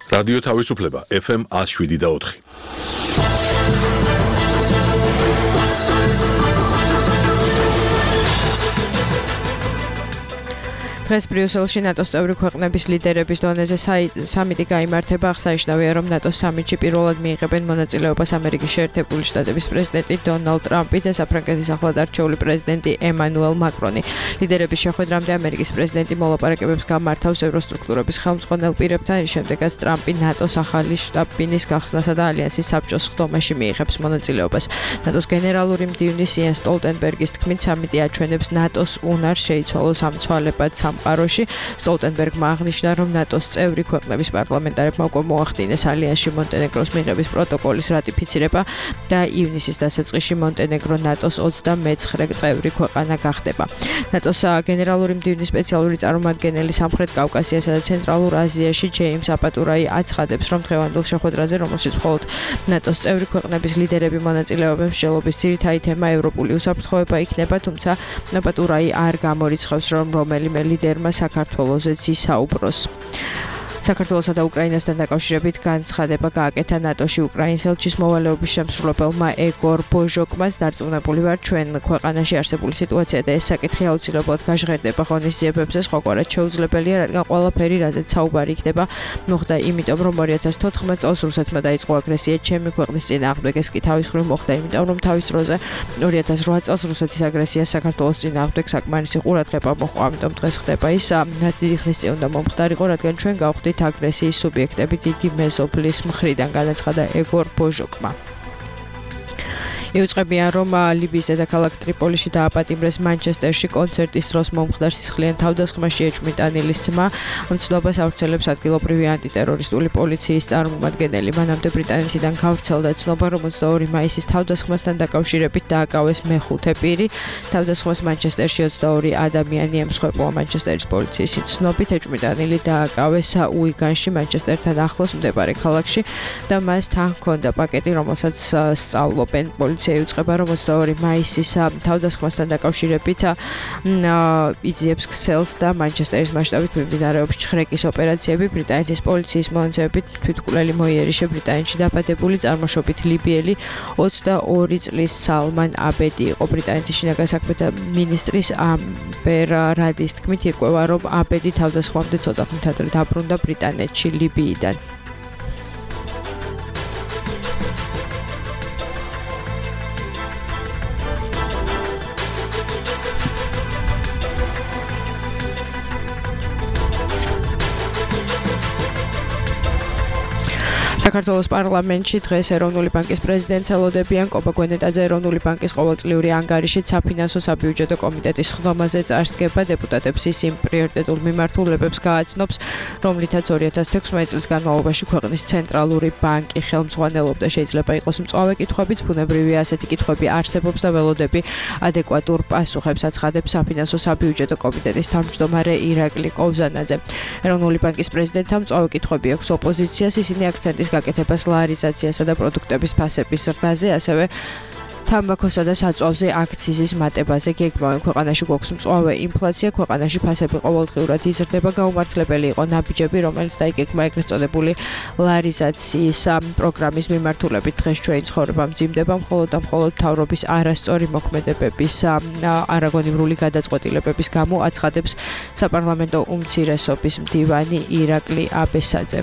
რადიო თავისუფლება FM 107.4. დღეს ბრიუსელში ნატოს წევრი ქვეყნების ლიდერების დონეზე სამიტი გაიმართება. აღსანიშნავია, რომ ნატოს სამიტში პირველად მიიღებენ მონაწილეობას ამერიკის შეერთებული შტატების პრეზიდენტი დონალდ ტრამპი და საფრანგეთის ახლად არჩეული პრეზიდენტი ემანუელ მაკრონი. ლიდერების შეხვედრამდე ამერიკის პრეზიდენტი მოლაპარაკებებს გამართავს ევროსტრუქტურების ხელმძღვანელ პირებთან, რის შემდეგაც ტრამპი ნატოს ახალი შტაბ-ბინის გახსნასა და ალიანსის საბჭოს ხდომაში მიიღებს მონაწილეობას. ნატოს გენერალური მდივნის იენს სტოლტენბერგის თქმით, სამიტი აჩვენებს ნატოს უნარს შეიცვალოს ამცვალებად სამყაროში. სტოლტენბერგმა აღნიშნა, რომ ნატოს წევრი ქვეყნების პარლამენტარებმა უკვე მოახდინეს ალიანსში მონტენეგროს მიღების პროტოკოლის რატიფიცირება და ივნისის დასაწყისში მონტენეგრო ნატოს 29 წევრი ქვეყანა გახდება. ნატოს გენერალური მდივნის სპეციალური წარმომადგენელი სამხრეთ კავკასიასა და ცენტრალურ აზიაში ჯეიმს აპატურაი აცხადებს, რომ დღევანდელ შეხვედრაზე, რომელშიც მხოლოდ ნატოს წევრი ქვეყნების ლიდერები მონაწილეობენ, მსჯელობის ძირითადი თემა ევროპული უსაფრთხოება იქნება, თუმცა აპატურაი არ გამორიცხავს, რომ რომელიმე ლიდერმა საქართველოსეც ისაუბროს. საქართველოსა და უკრაინასთან დაკავშირებით განცხადება გააკეთა ნატოში უკრაინის ელჩის მოვალეობის შემსრულებელმა ეგორ ბოჟოკმას. დარწმუნებული ვარ, ჩვენ ქვეყანაში არსებული სიტუაცია და ეს საკითხი აუცილებლად გაჟღერდება ღონისძიებებზე, სხვაგვარად შეუძლებელია, რადგან ყველაფერი, რაზეც საუბარი იქნება, მოხდა იმიტომ, რომ 2014 წელს რუსეთმა დაიწყო აგრესია ჩემი ქვეყნის წინააღმდეგ. ეს კი თავის მხრივ მოხდა იმიტომ, რომ თავის დროზე 2008 წელს რუსეთის აგრესიას საქართველოს წინააღმდეგ საკმარისი ყურადღება მოჰყვა. ამიტომ დღეს ხდება ის, რაც დიდი ხნის წინ უნდა მომხდარიყო, რადგან ჩვენ გავხდით აგრესიის სუბიექტები დიდი მეზობლის მხრიდან, განაცხადა ეგორ ბოჟოკმა. იუწყებიან, რომ ლიბიის დედაქალაქ ტრიპოლიში დააპატიმრეს მანჩესტერში კონცერტის დროს მომხდარ სისხლიან თავდასხმაში ეჭვმიტანილის ძმა. მცნობას ავრცელებს ადგილობრივი ანტიტერორისტული პოლიციის წარმომადგენელი. მანამდე ბრიტანეთიდან გავრცელდა ცნობა, რომ 22 მაისის თავდასხმასთან დაკავშირებით დააკავეს მეხუთე პირი. თავდასხმას მანჩესტერში 22 ადამიანი ემსხვერპლა. მანჩესტერის პოლიციის ცნობით ეჭვმიტანილი დააკავეს უიგანში, მანჩესტერთან ახლოს მდებარე ქალაქში და მას თან ჰქონდა პაკეტი, რომელსაც სწავლობენ. პოლიცია იუწყება, რომ 22 მაისის თავდასხმასთან დაკავშირებით იძიებს ქსელს და მანჩესტერის მასშტაბით მიმდინარეობს ჩხრეკის ოპერაციები. ბრიტანეთის პოლიციის მონაცემებით თვითმკვლელი მოიერიშე ბრიტანეთში დაბადებული წარმოშობით ლიბიელი 22 წლის სალმან აბედი იყო. ბრიტანეთის შინაგან საქმეთა მინისტრის ამბერ რადის თქმით, ირკვევა, რომ აბედი თავდასხმამდე ცოტა ხნით ადრე დაბრუნდა ბრიტანეთში ლიბიიდან. საქართველოს პარლამენტში დღეს ეროვნული ბანკის პრეზიდენტს ელოდებიან. კობა გვენეტაძე ეროვნული ბანკის ყოველწლიური ანგარიშით საფინანსო საბიუჯეტო კომიტეტის ხდომაზე წარსდგება. დეპუტატებს ის იმ პრიორიტეტულ მიმართულებებს გააცნობს, რომლითაც 2016 წლის განმავლობაში ქვეყნის ცენტრალური ბანკი ხელმძღვანელობდა. შეიძლება იყოს მწვავე კითხვებიც, ბუნებრივია ასეთი კითხვები არსებობს და ველოდები ადეკვატურ პასუხებს აცხადებს საფინანსო საბიუჯეტო კომიტეტის თავმჯდომარე ირაკლი კოვზანაძე. ეროვნული ბანკის პრეზიდენტთან მწვავე კითხვები აქვს ოპოზიციას, ისინი აქცენტის გაკეთებას ლარიზაციასა და პროდუქტების ფასების ზრდაზე, ასევე თამბაქოსა და საწვავზე აქციზის მატებაზე გეგმავენ. ქვეყანაში გვაქვს მწვავე ინფლაცია, ქვეყანაში ფასები ყოველდღიურად იზრდება. გაუმართლებელი იყო ნაბიჯები, რომელიც დაიგეგმა ეგრეთ წოდებული ლარიზაციის პროგრამის მიმართულებით. დღეს ჩვენი ცხოვრება მძიმდება მხოლოდ და მხოლოდ მთავრობის არასწორი მოქმედებების არაგონივრული გადაწყვეტილებების გამო, აცხადებს საპარლამენტო უმცირესობის მდივანი ირაკლი აბესაძე.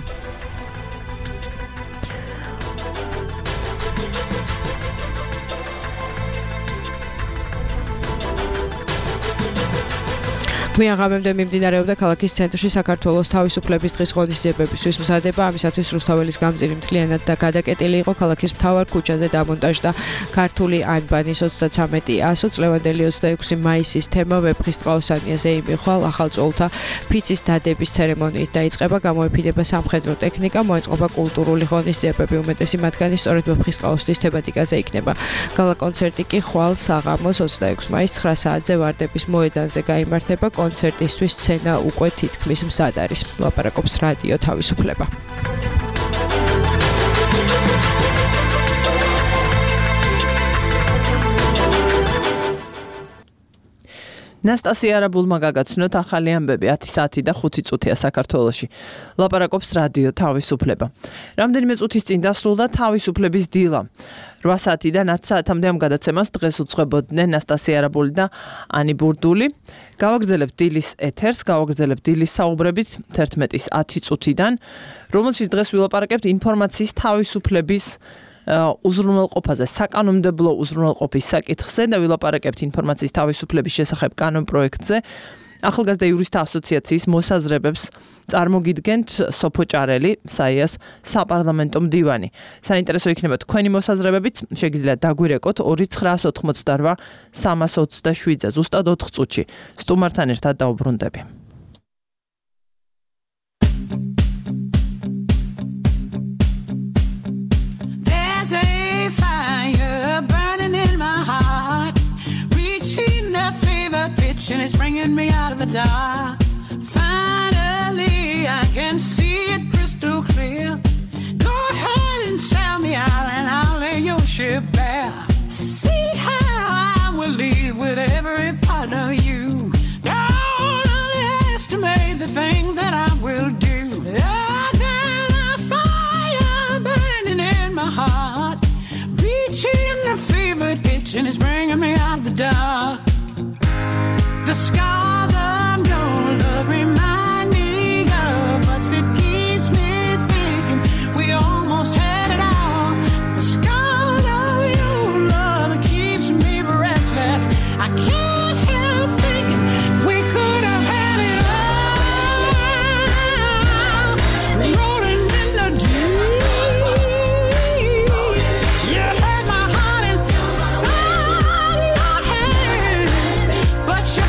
გვიან ღამემდე მიმდინარეობდა ქალაქის ცენტრში საქართველოს თავისუფლების დღის ღონისძიებებისთვის მზადება. ამისათვის რუსთაველის გამზირი მთლიანად და გადაკეტილი იყო. ქალაქის მთავარ ქუჩაზე დამონტაჟდა ქართული ანბანის 33-100 წლევანდელი 26 მაისის თემა ვეფხისტყაოსანიაზე იმიხვალ. ახალწოლთა ფიცის დადების ცერემონიით დაიწყება. გამოეფინება სამხედრო ტექნიკა, მოეწყობა კულტურული ღონისძიებები. უმეტესი მათგანი სწორედ ვეფხისტყაოსნის თემატიკაზე იქნება. გალა კონცერტი კი ხვალ საღამოს 26 მაისს 9 საათზე ვარდების მოედანზე გაიმართება. კონცერტისთვის სცენა უკვე თითქმის მზად არის. ლაპარაკობს რადიო თავისუფლება. ნასტასია არაბულმა გაგაცნოთ ახალი ამბები 10 საათი და 5 წუთია საქართველოში. ლაპარაკობს რადიო თავისუფლება. რამდენიმე წუთის წინ დასრულდა თავისუფლების დილა. 8 საათიდან 10 საათამდე ამ გადაცემას დღეს უძღვებოდნენ ნასტასია არაბული და ანი ბურდული. გავაგრძელებთ დილის ეთერს, გავაგრძელებთ დილის საუბრებით 11-ის 10 წუთიდან, რომელშიც დღეს ვილაპარაკებთ ინფორმაციის თავისუფლების უზრუნველყოფაზე, საკანონმდებლო უზრუნველყოფის საკითხზე და ვილაპარაკებთ ინფორმაციის თავისუფლების შესახებ კანონპროექტზე. ახალგაზრდა იურისტთა ასოციაციის მოსაზრებებს წარმოგიდგენთ სოფო ჭარელი, საიას საპარლამენტო მდივანი. საინტერესო იქნება თქვენი მოსაზრებებიც, შეგიძლიათ დაგვირეკოთ 2988 327-ზე, ზუსტად 4 წუთში. სტუმართან ერთად დაუბრუნდები. And it's bringing me out of the dark. Finally, I can see it crystal clear. Go ahead and sell me out, and I'll lay your ship bare. See how I will leave with every part of you. Don't underestimate the things that I will do. There's a fire burning in my heart, reaching a fever pitch, and it's bringing me out of the dark. The scars of your love remind me of us. It keeps me thinking we almost had it all. The scars of your love keeps me breathless. I can't help thinking we could have had it all. Rolling in the deep. You had my heart inside your hand, but you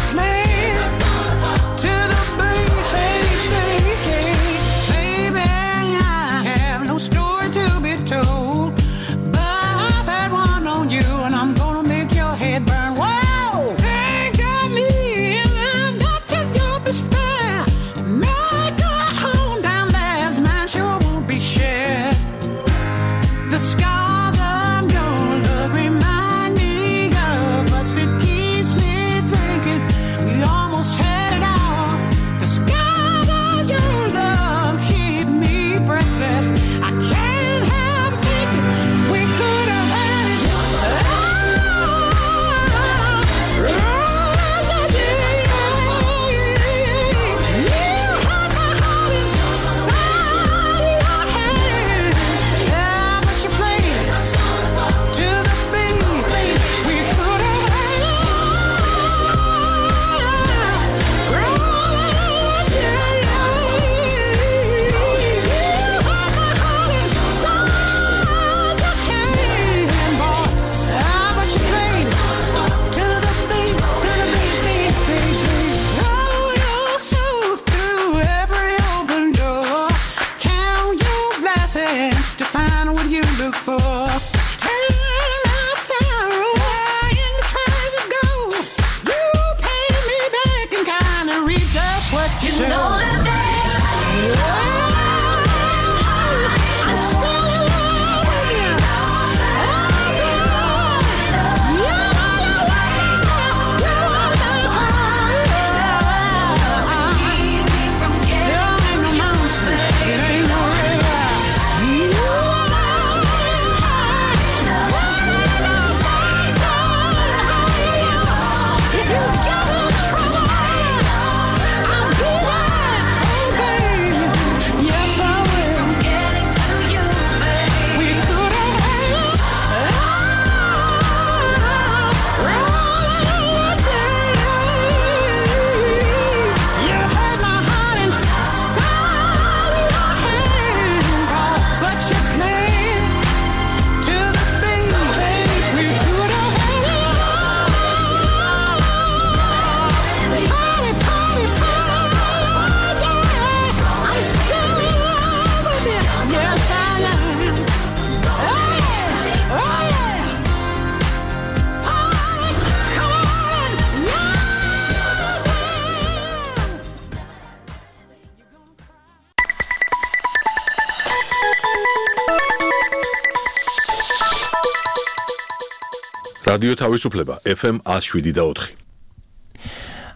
რადიო თავისუფლება FM 107 და 4.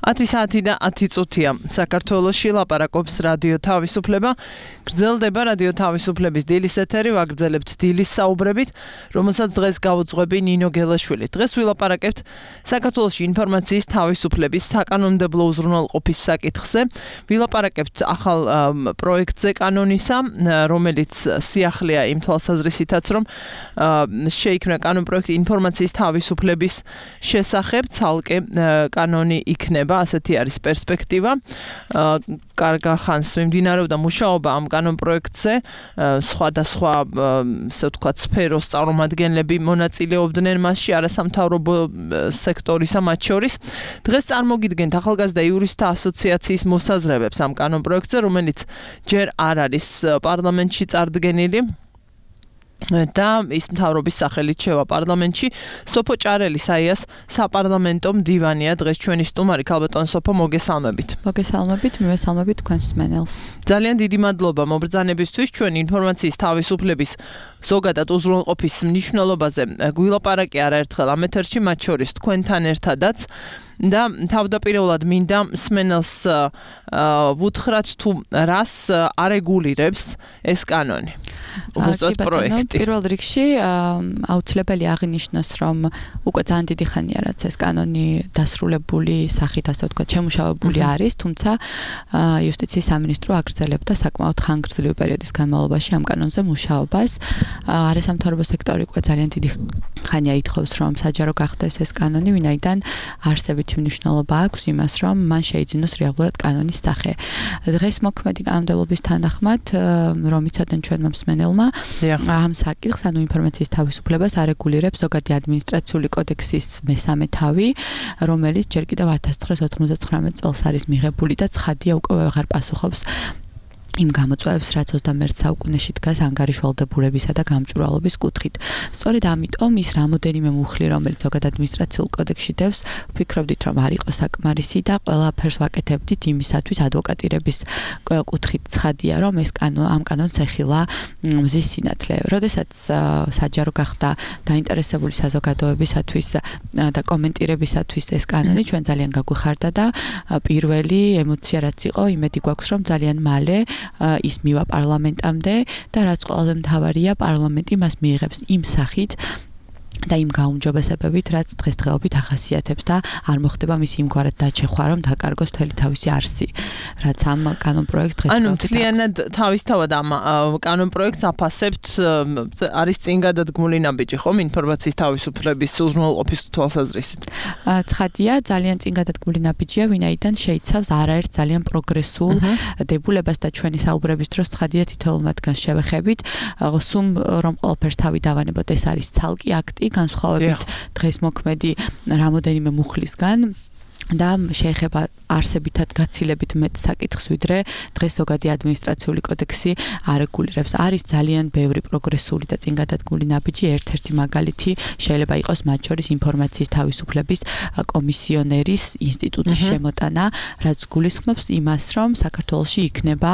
10 საათი და 10 წუთია. საქართველოში ლაპარაკობს რადიო თავისუფლება. გრძელდება რადიო თავისუფლების დილის ეთერი, ვაგრძელებთ დილის საუბრებით, რომელსაც დღეს გავუძღვები ნინო გელაშვილი. დღეს ვილაპარაკებთ საქართველოში ინფორმაციის თავისუფლების საკანონმდებლო უზრუნველყოფის საკითხზე. ვილაპარაკებთ ახალ პროექტზე კანონისა, რომელიც სიახლეა იმ თვალსაზრისითაც, რომ შეიქმნა კანონპროექტი ინფორმაციის თავისუფლების შესახებ, ცალკე კანონი იქნება. ასეთი არის პერსპექტივა. კარგა ხანს მიმდინარეობდა მუშაობა ამ კანონპროექტზე, სხვადასხვა ასე ვთქვათ სფეროს წარმომადგენლები მონაწილეობდნენ მასში, არასამთავრობო სექტორისა მათ შორის. დღეს წარმოგიდგენთ ახალგაზრდა იურისტთა ასოციაციის მოსაზრებებს ამ კანონპროექტზე, რომელიც ჯერ არ არის პარლამენტში წარდგენილი. და ის მთავრობის სახელით შევა პარლამენტში. სოფო ჭარელი საიას საპარლამენტო მდივანია დღეს ჩვენი სტუმარი. ქალბატონ სოფო, მოგესალმებით. მოგესალმებით, მივესალმებით თქვენს მსმენელს. ძალიან დიდი მადლობა მობრძანებისთვის. ჩვენ ინფორმაციის თავისუფლების ზოგადად უზრუნველყოფის მნიშვნელობაზე გვილაპარაკე არაერთხელ ამ ეთერში, მათ შორის თქვენთან ერთადაც. და თავდაპირველად მინდა მსმენელს ვუთხრათ თუ რას არეგულირებს ეს კანონი. უბრალოდ პროექტი. პირველ რიგში აუცილებელი აღინიშნოს, რომ უკვე ძალიან დიდი ხანია რაც ეს კანონი დასრულებული სახით, ასე ვთქვათ, შემუშავებული არის, თუმცა იუსტიციის სამინისტრო აგრძელებდა საკმაოდ ხანგრძლივი პერიოდის განმავლობაში ამ კანონზე მუშაობას. არასამთავრობო სექტორი უკვე ძალიან დიდი ხანია ითხოვს, რომ საჯარო გახდეს ეს კანონი, ვინაიდან არსებითი მნიშვნელობა აქვს იმას, რომ მან შეიძინოს რეალურად კანონის სახე. დღეს მოქმედი კანონმდებლობის თანახმად, რომ იცოდნენ ჩვენმა მსმენელმა, ამ საკითხს, ანუ ინფორმაციის თავისუფლებას არეგულირებს ზოგადი ადმინისტრაციული კოდექსის მესამე თავი, რომელიც ჯერ კიდევ 1999 წელს არის მიღებული და ცხადია უკვე ვეღარ პასუხობს იმ გამოწვევებს, რაც 21 საუკუნეში დგას ანგარიშვალდებულებისა და გამჭვირვალობის კუთხით. სწორედ ამიტომ ის რამოდენიმე მუხლი, რომელიც ზოგად ადმინისტრაციულ კოდექსში დევს, ვფიქრობდით, რომ არ იყო საკმარისი და ყველაფერს ვაკეთებდით იმისათვის ადვოკატირების კუთხით ცხადია, რომ ეს ამ კანონს ეხილა მზის სინათლე. როდესაც საჯარო გახდა დაინტერესებული საზოგადოებისათვის და კომენტირებისათვის ეს კანონი, ჩვენ ძალიან გაგვიხარდა და პირველი ემოცია რაც იყო, იმედი გვაქვს, რომ ძალიან მალე ის მივა პარლამენტამდე და რაც ყველაზე მთავარია, პარლამენტი მას მიიღებს იმ სახით და იმ გაუმჯობესებებით, რაც დღესდღეობით ახასიათებს და არ მოხდება მის იმგვარად დაჩეხვა, რომ დაკარგოს მთელი თავისი არსი, რაც ამ კანონპროექტს დღესდღეობით. ანუ მთლიანად თავისთავად ამ კანონპროექტს აფასებთ, არის წინ გადადგმული ნაბიჯი, ხომ, ინფორმაციის თავისუფლების უზრუნველყოფის თვალსაზრისით. ცხადია, ძალიან წინ გადადგმული ნაბიჯია, ვინაიდან შეიცავს არაერთ ძალიან პროგრესულ დებულებას და ჩვენი საუბრების დროს ცხადია თითოეულ მათგანს შევეხებით, სულ რომ ყველაფერს თავი დავანებოთ, ეს არის ცალკე აქტი, განსხვავებით დღეს მოქმედი რამოდენიმე მუხლისგან და შეეხება არსებითად გაცილებით მეტ საკითხს, ვიდრე დღეს ზოგადი ადმინისტრაციული კოდექსი არეგულირებს. არის ძალიან ბევრი პროგრესული და წინ გადადგმული ნაბიჯი, ერთ-ერთი მაგალითი შეიძლება იყოს მათ შორის ინფორმაციის თავისუფლების კომისიონერის ინსტიტუტის შემოტანა, რაც გულისხმობს იმას, რომ საქართველოში იქნება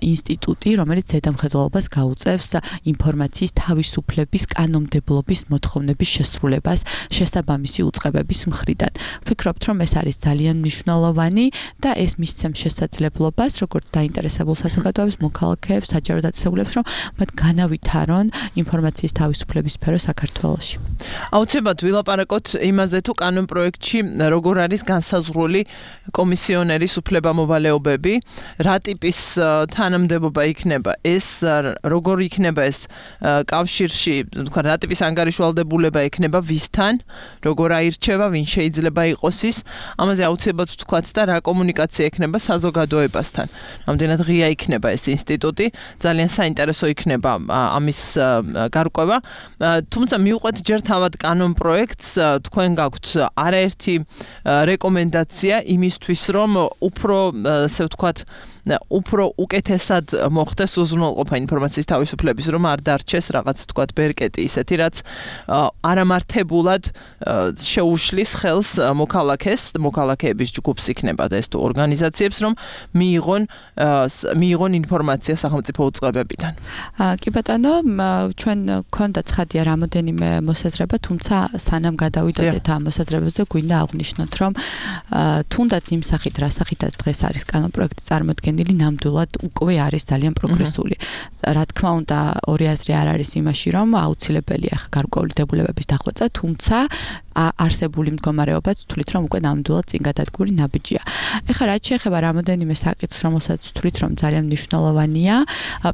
ინსტიტუტი, რომელიც ზედამხედველობას გაუწევს ინფორმაციის თავისუფლების კანონმდებლობის მოთხოვნების შესრულებას შესაბამისი უწყებების მხრიდან. ვფიქრობთ, რომ ეს არის ძალიან მნიშვნელოვანი და ეს მისცემს შესაძლებლობას, როგორც დაინტერესებულ საზოგადოებას, მოქალაქეებს, საჯარო დაწესებულებს, რომ მათ განავითარონ ინფორმაციის თავისუფლების სფერო საქართველოში. აუცილებლად ვილაპარაკოთ იმაზე, თუ კანონპროექტში როგორ არის განსაზღვრული კომისიონერის უფლებამოვალეობები, რა ტიპის თანამდებობა იქნება ეს, როგორ იქნება ეს კავშირში, თქვა რა ტიპის ანგარიშვალდებულება იქნება ვისთან, როგორ აირჩევა, ვინ შეიძლება იყოს ის. ამაზე აუცილებლად ვთქვათ და რა კომუნიკაცია ექნება საზოგადოებასთან. რამდენად ღია იქნება ეს ინსტიტუტი, ძალიან საინტერესო იქნება ამის გარკვევა. თუმცა მივყვეთ ჯერ თავად კანონპროექტს, თქვენ გაქვთ არაერთი რეკომენდაცია იმისთვის, რომ უფრო, ასე ვთქვათ, უფრო უკეთესად მოხდეს უზრუნველყოფა ინფორმაციის თავისუფლების, რომ არ დარჩეს რაღაც თქვათ ბერკეტი ისეთი, რაც არამართებულად შეუშლის ხელს მოქალაქეების ჯგუფს იქნება და ეს თუ ორგანიზაციებს, რომ მიიღონ ინფორმაცია სახელმწიფო უწყებებიდან. კი ბატონო, ჩვენ გქონდა ცხადია რამოდენიმე მოსაზრება, თუმცა სანამ გადავიდოდეთ ამ მოსაზრებებზე, გვინდა აღვნიშნოთ, რომ თუნდაც იმ სახით, რა სახითაც დღეს არის კანონპროექტი წარმოდგენილი, ნამდვილად უკვე არის ძალიან პროგრესული. რა თქმა უნდა, ორი აზრი არ არის იმაში, რომ აუცილებელია გარკვეული დებულებების დახვეწა, თუმცა არსებული მდგომარეობაც თვლით, რომ უკვე ნამდვილად წინ გადადგმული ნაბიჯია. ეხლა რაც შეეხება რამოდენიმე საკითხს, რომელსაც თვლით, რომ ძალიან მნიშვნელოვანია,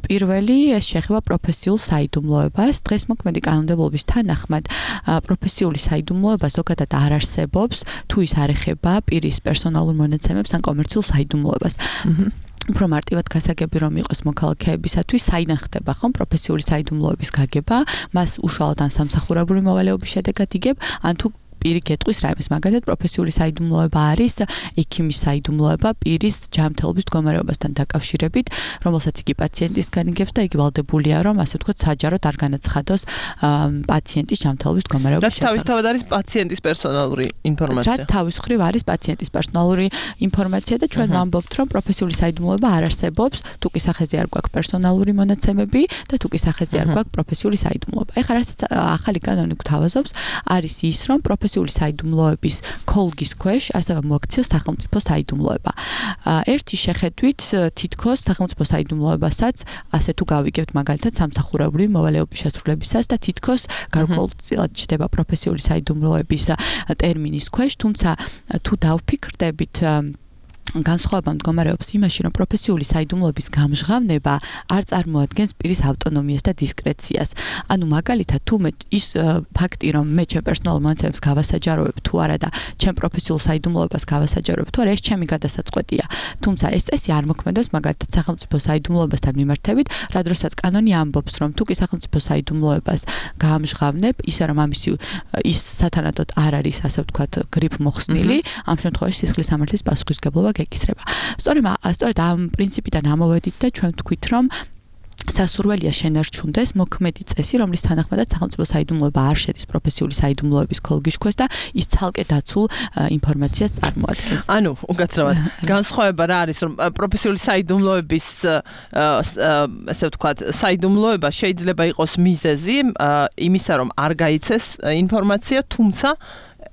პირველი ეს შეეხება პროფესიულ საიდუმლოებას. დღეს მოქმედი კანონმდებლობის თანახმად პროფესიული საიდუმლოება ზოგადად არ არსებობს, თუ ის არ ეხება პირის პერსონალურ მონაცემებს ან კომერციულ საიდუმლოებას. უფრო მარტივად გასაგები რომ იყოს მოქალაქეებისათვის საინახდება ხომ პროფესიული საიდუმლოების გაგება, მას უშუალოდ ან სამსახურებრივი მოვალეობის შედეგად იგებ, ან თუ პირი გეტყვის რაიმეს, მაგალითად პროფესიული საიდუმლოება არის ექიმის საიდუმლოება პირის ჯანმრთელობის მდგომარეობასთან დაკავშირებით, რომელსაც იგი პაციენტისგან იგებს და იგი ვალდებულია, რომ ასე ვთქვათ, საჯაროდ არ განაცხადოს პაციენტის ჯანმრთელობის მდგომარეობის შესახებ. რაც თავისთავად არის პაციენტის პერსონალური ინფორმაცია. რაც თავის მხრივ არის პაციენტის პერსონალური ინფორმაცია და ჩვენ ვამბობთ, რომ პროფესიული საიდუმლოება არ არსებობს, თუ კი სახეზე არ გვაქვს პერსონალური მონაცემები და თუ კი სახეზე არ გვაქვს პროფესიული საიდუმლოება. ეხლა რასაც ახალი კანონი გვთავაზობს, არის ის, რომ პროფესიული საიდუმლოების ქოლგის ქვეშ ასევე მოაქციოს სახელმწიფო საიდუმლოება. ერთი შეხედვით თითქოს სახელმწიფო საიდუმლოებასაც ასე თუ გავიგებთ მაგალითად სამსახურებრივი მოვალეობის შესრულებისას და თითქოს გარკვეულწილად ჩდება პროფესიული საიდუმლოების ტერმინის ქვეშ, თუმცა თუ დავფიქრდებით განსხვავება მდგომარეობს იმაში, რომ პროფესიული საიდუმლოების გამჟღავნება არ წარმოადგენს პირის ავტონომიას და დისკრეციას. ანუ მაგალითად, თუ მე ის ფაქტი, რომ მე ჩემ პერსონალურ მონაცემებს გავასაჯაროებ თუ არა და ჩემ პროფესიულ საიდუმლოებას გავასაჯაროებ თუ არა, ეს ჩემი გადასაწყვეტია. თუმცა ეს წესი არ მოქმედებს მაგალითად სახელმწიფო საიდუმლოებასთან მიმართებით, რა დროსაც კანონი ამბობს, რომ თუ კი სახელმწიფო საიდუმლოებას გამჟღავნებ, ისე რომ ამისი ის სათანადოდ არ არის, ასე ვთქვათ, გრიფ მოხსნილი, ამ შემთხვევაში სისხლის სამართლის პასუხისმგებლობა გეკისრება. სწორედ ამ პრინციპიდან ამოვედით და ჩვენ ვთქვით, რომ სასურველია შენარჩუნდეს მოქმედი წესი, რომლის თანახმადაც სახელმწიფო საიდუმლოება არ შედის პროფესიული საიდუმლოების ქოლგის ქვეშ და ის ცალკე დაცულ ინფორმაციას წარმოადგენს. ანუ უკაცრავად განსხვავება რა არის, რომ პროფესიული საიდუმლოების ასე ვთქვათ, საიდუმლოება შეიძლება იყოს მიზეზი იმისა, რომ არ გაიცეს ინფორმაცია, თუმცა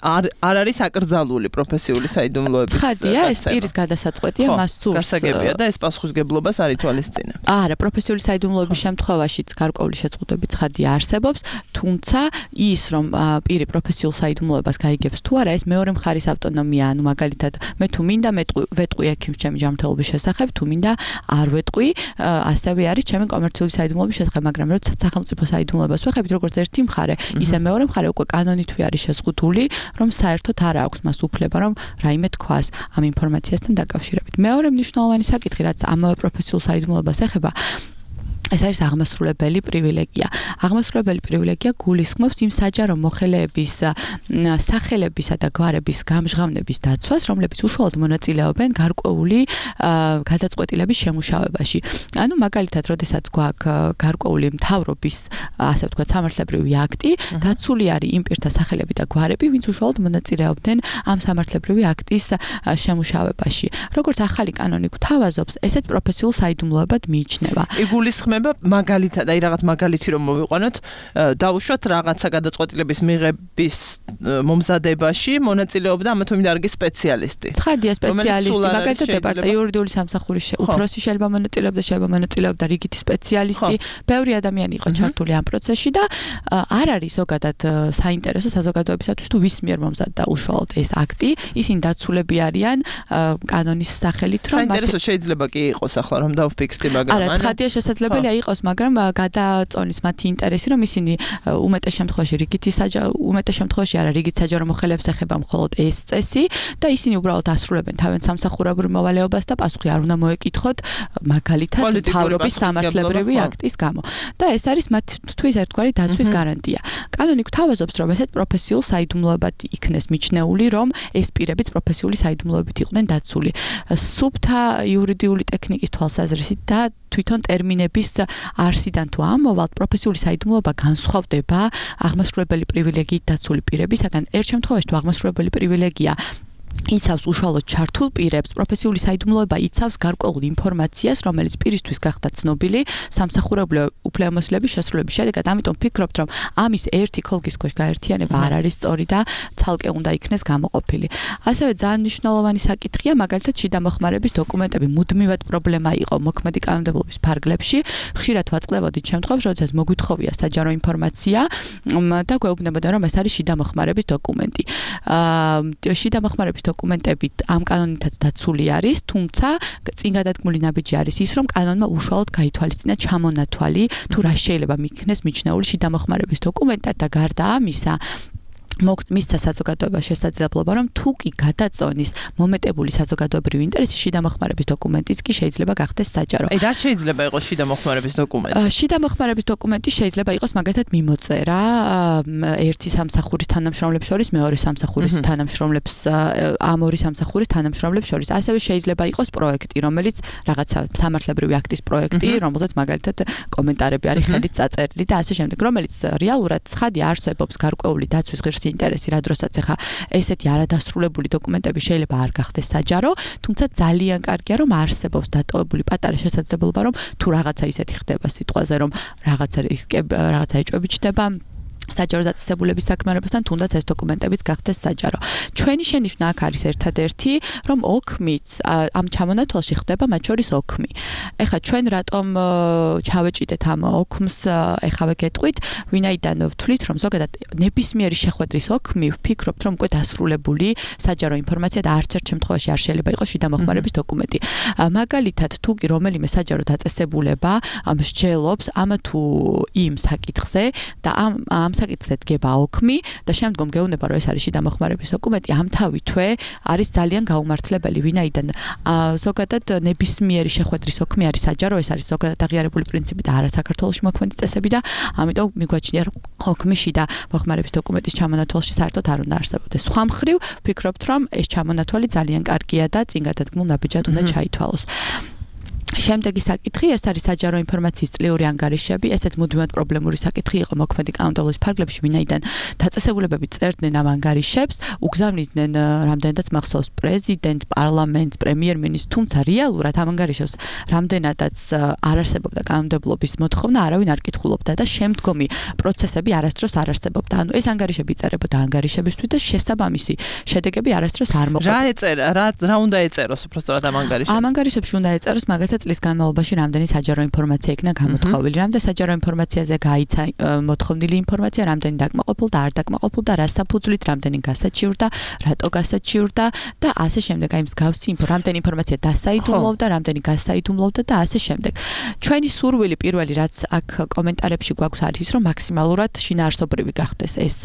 არ არის აკრძალული პროფესიული საიდუმლოების. ცხადია, ეს პირის გადასაწყვეტია, მას სურს. გასაგებია და ეს პასუხისმგებლობას არ ითვალისწინებს. არა, პროფესიული საიდუმლოების შემთხვევაშიც გარკვეული შეწყვეტები ცხადია არსებობს, თუმცა ის, რომ პირი პროფესიულ საიდუმლოებას გაიგებს თუ არა, ეს მეორე მხარის ავტონომია, ანუ მაგალითად, მე თუ მინდა ვეტყვი ექიმს ჩემი ჯანმრთელობის შესახებ, თუ მინდა არ ვეტყვი, ასევე არის ჩემი კომერციული საიდუმლოების შესახებ, მაგრამ როდესაც სახელმწიფო საიდუმლოებას ვეხებით, როგორც ერთი მხარე, ისე მეორე მხარე უკვე კანონით არის შეზღუდული, რომ საერთოდ არ აქვს მას უფლება, რომ რაიმე თქვას ამ ინფორმაციასთან დაკავშირებით. მეორე მნიშვნელოვანი საკითხი, რაც ამავე პროფესიულ საიდუმლოებას ეხება, ეს არის აღმასრულებელი პრივილეგია. აღმასრულებელი პრივილეგია გულისხმობს იმ საჯარო მოხელეების სახელებისა და გვარების გამჟღავნების დაცვას, რომლებიც უშუალოდ მონაწილეობენ გარკვეული გადაწყვეტილების შემუშავებაში. ანუ მაგალითად, როდესაც გვაქვს გარკვეული მთავრობის, ასე ვთქვათ, სამართლებრივი აქტი, დაცული არის იმ პირთა სახელები და გვარები, ვინც უშუალოდ მონაწილეობდნენ ამ სამართლებრივი აქტის შემუშავებაში. როგორც ახალი კანონი გვთავაზობს, ესეც პროფესიულ საიდუმლოებად მიიჩნევა. იგულისხმება მაგალითად, აი რაღაც მაგალითი რომ მოვიყვანოთ, დავუშვათ რაღაცა გადაწყვეტილების მიღების მომზადებაში მონაწილეობდა ამა თუ იმ დარგის სპეციალისტი. ცხადია, სპეციალისტი, მაგალითად იურიდიული სამსახურის უფროსი შეიძლება მონაწილეობდა რიგითი სპეციალისტი, ბევრი ადამიანი იყო ჩართული ამ პროცესში და არ არის ზოგადად საინტერესო საზოგადოებისათვის თუ ვის მიერ მომზადდა უშუალოდ ეს აქტი, ისინი დაცულები არიან კანონის სახელით, რომ საინტერესო შეიძლება კი იყოს ახლა რომ დავფიქრდი, მაგრამ არა, ცხადია შესაძლებელი შესაძლია იყოს, მაგრამ გადაწონის მათი ინტერესი, რომ ისინი უმეტეს შემთხვევაში არა რიგით საჯარო მოხელეებს ეხება მხოლოდ ეს წესი და ისინი უბრალოდ ასრულებენ თავიანთ სამსახურებრივ მოვალეობას და პასუხი არ უნდა მოეკითხოთ მაგალითად მთავრობის სამართლებრივი აქტის გამო. და ეს არის მათთვის ერთგვარი დაცვის გარანტია. კანონი გვთავაზობს, რომ ესეთ პროფესიულ საიდუმლოებად იქნეს მიჩნეული, რომ ეს პირებიც პროფესიული საიდუმლოებით იყვნენ დაცული. სუფთა იურიდიული ტექნიკის თვალსაზრისით და თვითონ ტერმინების არსიდან თუ ამოვალთ, პროფესიული საიდუმლოება განსხვავდება აღმასრულებელი პრივილეგიით დაცული პირებისაგან. ერთ შემთხვევაში თუ აღმასრულებელი პრივილეგია იცავს უშუალოდ ჩართულ პირებს, პროფესიული საიდუმლოება იცავს გარკვეულ ინფორმაციას, რომელიც პირისთვის გახდა ცნობილი სამსახურებრივი უფლებამოსილების შესრულების შედეგად. ამიტომ ვფიქრობთ, რომ ამის ერთი ქოლგის ქვეშ გაერთიანება არ არის სწორი და ცალკე უნდა იქნეს გამოყოფილი. ასევე ძალიან მნიშვნელოვანი საკითხია, მაგალითად, შიდა მოხმარების დოკუმენტები მუდმივად პრობლემა იყო მოქმედი კანონმდებლობის ფარგლებში. ხშირად ვაწყდებოდით შემთხვევებს, როდესაც მოგვითხოვია საჯარო ინფორმაცია და გვეუბნებოდა, რომ ეს არის შიდა მოხმარების დოკუმენტი. შიდა მოხმარების დოკუმენტებით ამ კანონითაც დაცული არის, თუმცა წინ გადადგმული ნაბიჯი არის ის, რომ კანონმა უშუალოდ გაითვალისწინა ჩამონათვალი თუ რა შეიძლება მიქნეს მიჩნეული შიდა მოხმარების დოკუმენტად და გარდა ამისა მისცა საზოგადოება შესაძლებლობა, რომ თუ კი გადაწონის მომეტებული საზოგადოებრივი ინტერესი შიდა მოხმარების დოკუმენტიც კი შეიძლება გახდეს საჯარო. რა შეიძლება იყოს შიდა მოხმარების დოკუმენტი? შიდა მოხმარების დოკუმენტი შეიძლება იყოს მაგალითად მიმოწერა ერთი სამსახურის თანამშრომლებს შორის მეორე სამსახურის თანამშრომლებს ამ ორი სამსახურის თანამშრომლებს შორის. ასევე შეიძლება იყოს პროექტი, რომელიც რაღაცა სამართლებრივი აქტის პროექტი, რომელზეც მაგალითად კომენტარები არის ხელით წაწერილი და ასე შემდეგ, რომელიც რეალურად ცხადი არსებობს გარკვეული დაცვის ღირსი ინტერესი, რა დროსაც ახლა ესეთი არადასრულებული დოკუმენტები შეიძლება არ გახდეს საჯარო, თუმცა ძალიან კარგია, რომ არსებობს დატოვებული პატარა შესაძლებლობა, რომ თუ რაღაცა ისეთი ხდება სიტყვაზე, რომ რაღაცა ეჭვები ჩდება საჯარო დაწესებულების საქმიანობასთან, თუნდაც ეს დოკუმენტებიც გახდეს საჯარო. ჩვენი შენიშვნა აქ არის ერთადერთი, რომ ოქმიც ამ ჩამონათვალში ხდება მათ შორის ოქმი. ეხლა ჩვენ რატომ ჩავეჭიდეთ ამ ოქმს, ეხავე გეტყვით, ვინაიდან ვთვლით, რომ ზოგადად ნებისმიერი შეხვედრის ოქმი ვფიქრობთ, რომ უკვე დასრულებული საჯარო ინფორმაცია და არც ერთ შემთხვევაში არ შეიძლება იყოს შიდა მოხმარების დოკუმენტი. მაგალითად, თუ კი რომელიმე საჯარო დაწესებულება მსჯელობს ამ თუ იმ საკითხზე და ამ საკითხზე დგება ოქმი და შემდგომ გეუბნება, რომ ეს არის შიდა მოხმარების დოკუმენტი, ამთავითვე არის ძალიან გაუმართლებელი, ვინაიდან ზოგადად ნებისმიერი შეხვედრის ოქმი არის საჯარო, ეს არის ზოგადად აღიარებული პრინციპი და არა საქართველოში მოქმედი წესები და ამიტომ მიგვაჩნია, რომ ოქმი შიდა მოხმარების დოკუმენტის ჩამონათვალში საერთოდ არ უნდა არსებობდეს. სხვა მხრივ, ვფიქრობთ, რომ ეს ჩამონათვალი ძალიან კარგია და წინ გადადგმულ ნაბიჯად უნდა ჩაითვალოს. შემდეგი საკითხი, ეს არის საჯარო ინფორმაციის წლიური ანგარიშები, ესეც მუდმივად პრობლემური საკითხი იყო მოქმედი კანონმდებლობის ფარგლებში, ვინაიდან დაწესებულებები წერდნენ ამ ანგარიშებს, უგზავნიდნენ რამდენადაც მახსოვს პრეზიდენტს, პარლამენტს, პრემიერ-მინისტრს, თუმცა რეალურად ამ ანგარიშებს რამდენადაც არ არსებობდა კანონმდებლობის მოთხოვნა, არავინ არ კითხულობდა და შემდგომი პროცესები არასდროს არ არსებობდა. ანუ ეს ანგარიშები იწერებოდა ანგარიშებისთვის და შესაბამისი შედეგები არასდროს არ მოხდა. რა ეწერა, რა უნდა ეწეროს უბრალოდ ამ ანგარიშებში? ამ ანგარიშებში უნდა ეწეროს მაგალითად წლის განმავლობაში რამდენი საჯარო ინფორმაცია იქნა გამოთხოვილი, რამდენი საჯარო ინფორმაციაზე გაიცა მოთხოვნილი ინფორმაცია, რამდენი დაკმაყოფილდა, არ დაკმაყოფილდა, რა საფუძვლით, რამდენი გასაჩივრდა, რატო გასაჩივრდა და ასე შემდეგ. აი მსგავსი რამდენი ინფორმაცია დასაიდუმლოვდა, რამდენი გასაიდუმლოვდა და ასე შემდეგ. ჩვენი სურვილი პირველი, რაც აქ კომენტარებში გვაქვს არის ის, რომ მაქსიმალურად შინაარსობრივი გახდეს ეს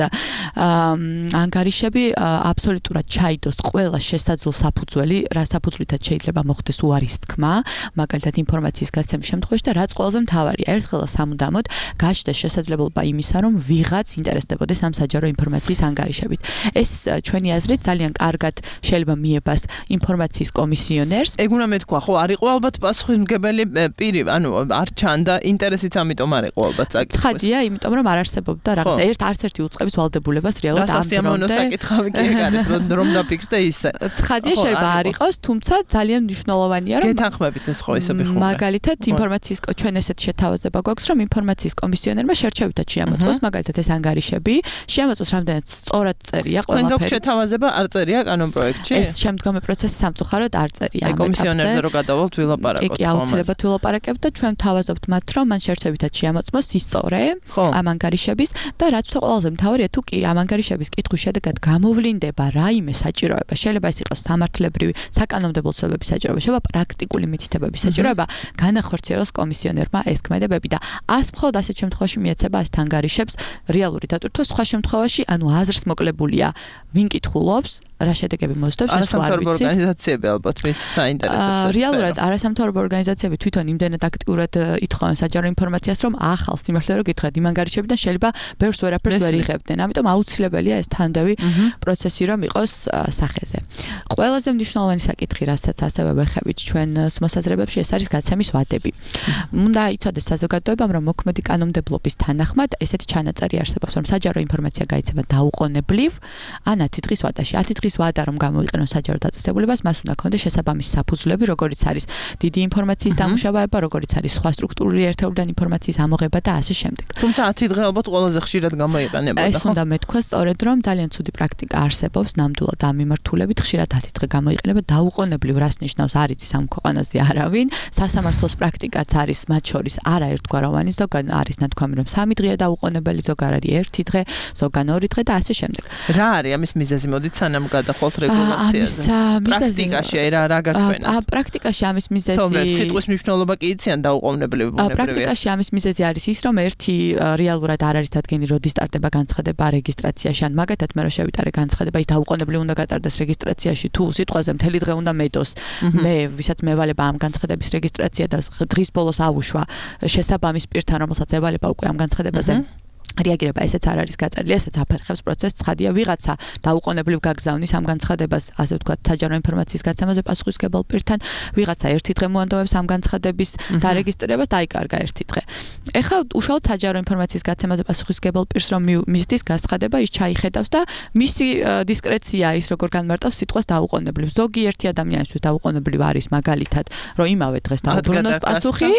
ანგარიშები, აბსოლუტურად ჩაიდოს ყველა შესაძლო საფუძველი, რა საფუძვლითაც შეიძლება მოხდეს უარის თქმა, მაგალითად ინფორმაციის გაცემის შემთხვევაში და რაც ყველაზე მთავარია, ერთხელ სამუდამოდ გაჩნდეს შესაძლებლობა იმისა, რომ ვიღაც ინტერესდებოდეს ამ საჯარო ინფორმაციის ანგარიშებით. ეს ჩვენი აზრით ძალიან კარგად შეიძლება მიებას ინფორმაციის კომისიონერს. ეგ უნდა მეთქვა, ხო, არ იყო ალბათ პასუხისმგებელი პირი, ანუ არ ჩანდა ინტერესიც, ამიტომ არ იყო ალბათ საკითხი. ცხადია, იმიტომ რომ არ არსებობდა რაღაცა არც ერთი უწყების ვალდებულებას რეალურად ამ დრომდე. საკითხავი კი ეგ არის, რომ დაფიქრდე ისე. ცხადია, შეიძლება არ იყოს, თუმცა ძალიან მნიშვნელოვანია, რომ გეთანხმებით ეს ხო ისე ბიხო. მაგალითად, ინფორმაციის ჩვენ ესეთ შეთავაზება გვაქვს, რომ ინფორმაციის კომისიონერმა შერჩევითად შეამოწმოს, მაგალითად ეს ანგარიშები, შეამოწმოს რამდენად სწორად წერია ყველაფერი. თქვენ გვაქვს შეთავაზება არ წერია კანონპროექტში? ეს შემდგომი პროცესი სამწუხაროდ არ წერია. აი კომისიონერზე რო გადავალთ ვილაპარაკოთ. კი, აუცილებლად ვილაპარაკებთ და ჩვენ თავაზობთ მათ, რომ მან შერჩევითად შეამოწმოს ისწორე ამ ანგარიშების და რაც ყველაზე მთავარია, თუ კი ამ ანგარიშების კითხვის შედეგად გამოვლინდება რაიმე საჭიროება, შეიძლება ეს იყოს სამართლებრივი, საკანონმდებლო ცვლილებების საჭიროება, შეიძლება პრაქტიკული მითითებების განმარტების საჭიროება განახორციელოს კომისიონერმა ეს ქმედებები და მხოლოდ ასეთ შემთხვევაში მიეცება ასეთ ანგარიშებს რეალური დატვირთვა, სხვა შემთხვევაში ანუ აზრს მოკლებულია ვინ კითხულობს რა შედეგები მოსდევს ეს არ ვიცი. ორგანიზაციები ალბათ მის საინტერესოებს. რეალურად არასამთავრობო ორგანიზაციები თვითონ იმდენად აქტიურად ითხოვენ საჯარო ინფორმაციას, რომ ახალ სიმართლე რო გითხრათ იმ ანგარიშებიდან შეიძლება ბევრს ვერაფერს ვერ იღებდნენ. ამიტომ აუცილებელია ეს თანდევი პროცესი რომ იყოს სახეზე. ყველაზე მნიშვნელოვანი საკითხი, რასაც ასევე ვეხებით ჩვენს მოსაზრებებში, ეს არის გაცემის ვადები. უნდა იცოდეს საზოგადოებამ, რომ მოქმედი კანონმდებლობის თანახმად ესეთი ჩანაწერი არსებობს, რომ საჯარო ინფორმაცია გაიცემა დაუყოვნებლივ ან 10 დღის ვადაში. 10 დღის ვადა რომ გამოიყენოს საჯარო დაწესებულებას, მას უნდა ქონდეს შესაბამისი საფუძვლები, როგორიც არის დიდი ინფორმაციის დამუშავება, როგორიც არის სხვა სტრუქტურული ერთეულიდან ინფორმაციის ამოღება და ასე შემდეგ. თუმცა 10 დღე ალბათ ყველაზე ხშირად გამოიყენებოდა. ეს უნდა მეთქვა სწორედ, რომ ძალიან ცუდი პრაქტიკა არსებობს ნამდვილად ამ მიმართულებით, ხშირად 10 დღე გამოიყენება დაუყოვნებლივ, რას ნიშნავს არ იცის ამ ქვეყანაზე არავინ. სასამართლოს პრაქტიკაც არის მათ შორის არაერთგვაროვანი, ზოგან არის ნათქვამი, რომ 3 დღეა დაუყოვნებელი, ზოგან არის 1 დღე, ზოგან 2 დღე და ასე შემდეგ. რა არის ამის მიზეზი? მოდით სანამ გადახვალთ რეგულაციაზე. პრაქტიკაში რა გაჩვენებთ? პრაქტიკაში ამის მიზეზი თუმცა სიტყვის მნიშვნელობა კი იციან დაუყოვნებლივი ბუნებრივია. პრაქტიკაში ამის მიზეზი არის ის, რომ ერთი რეალურად არ არის დადგენილი, როდის სტარტება განცხადება რეგისტრაციაში, ან მაგათაც მე რო შევიტარე განცხადება, ის დაუყოვნებლივ უნდა გატარდეს რეგისტრაციაში, თუ სიტყვაზე მთელი დღე უნდა მეტოს. მე ვისაც მევალება ამ განცხადების რეგისტრაცია და დღის ბოლოს ავუშვა შესაბამის პირთან, რომელსაც ევალება უკვე ამ განცხადებაზე რეაგირება, ესეც არ არის გაწერილი, ესეც აფერხებს პროცესს. ცხადია, ვიღაცა დაუყოვნებლივ გაგზავნის ამ განცხადებას, ასე ვთქვათ, საჯარო ინფორმაციის გაცემაზე პასუხისმგებელ პირთან, ვიღაცა 1 დღე მოანდოვებს ამ განცხადების დარეგისტრირებას, დაიკარგა 1 დღე. ეხლა უშუალოდ საჯარო ინფორმაციის გაცემაზე პასუხისმგებელ პირს რომ მისდის განცხადება, ის ჩაიხედავს და მისი დისკრეცია ის როგორ განმარტავს სიტყვას დაუყოვნებლივ. ზოგიერთი ადამიანისთვის დაუყოვნებლივ არის მაგალითად, რომ იმავე დღეს დაუბრუნოს პასუხი,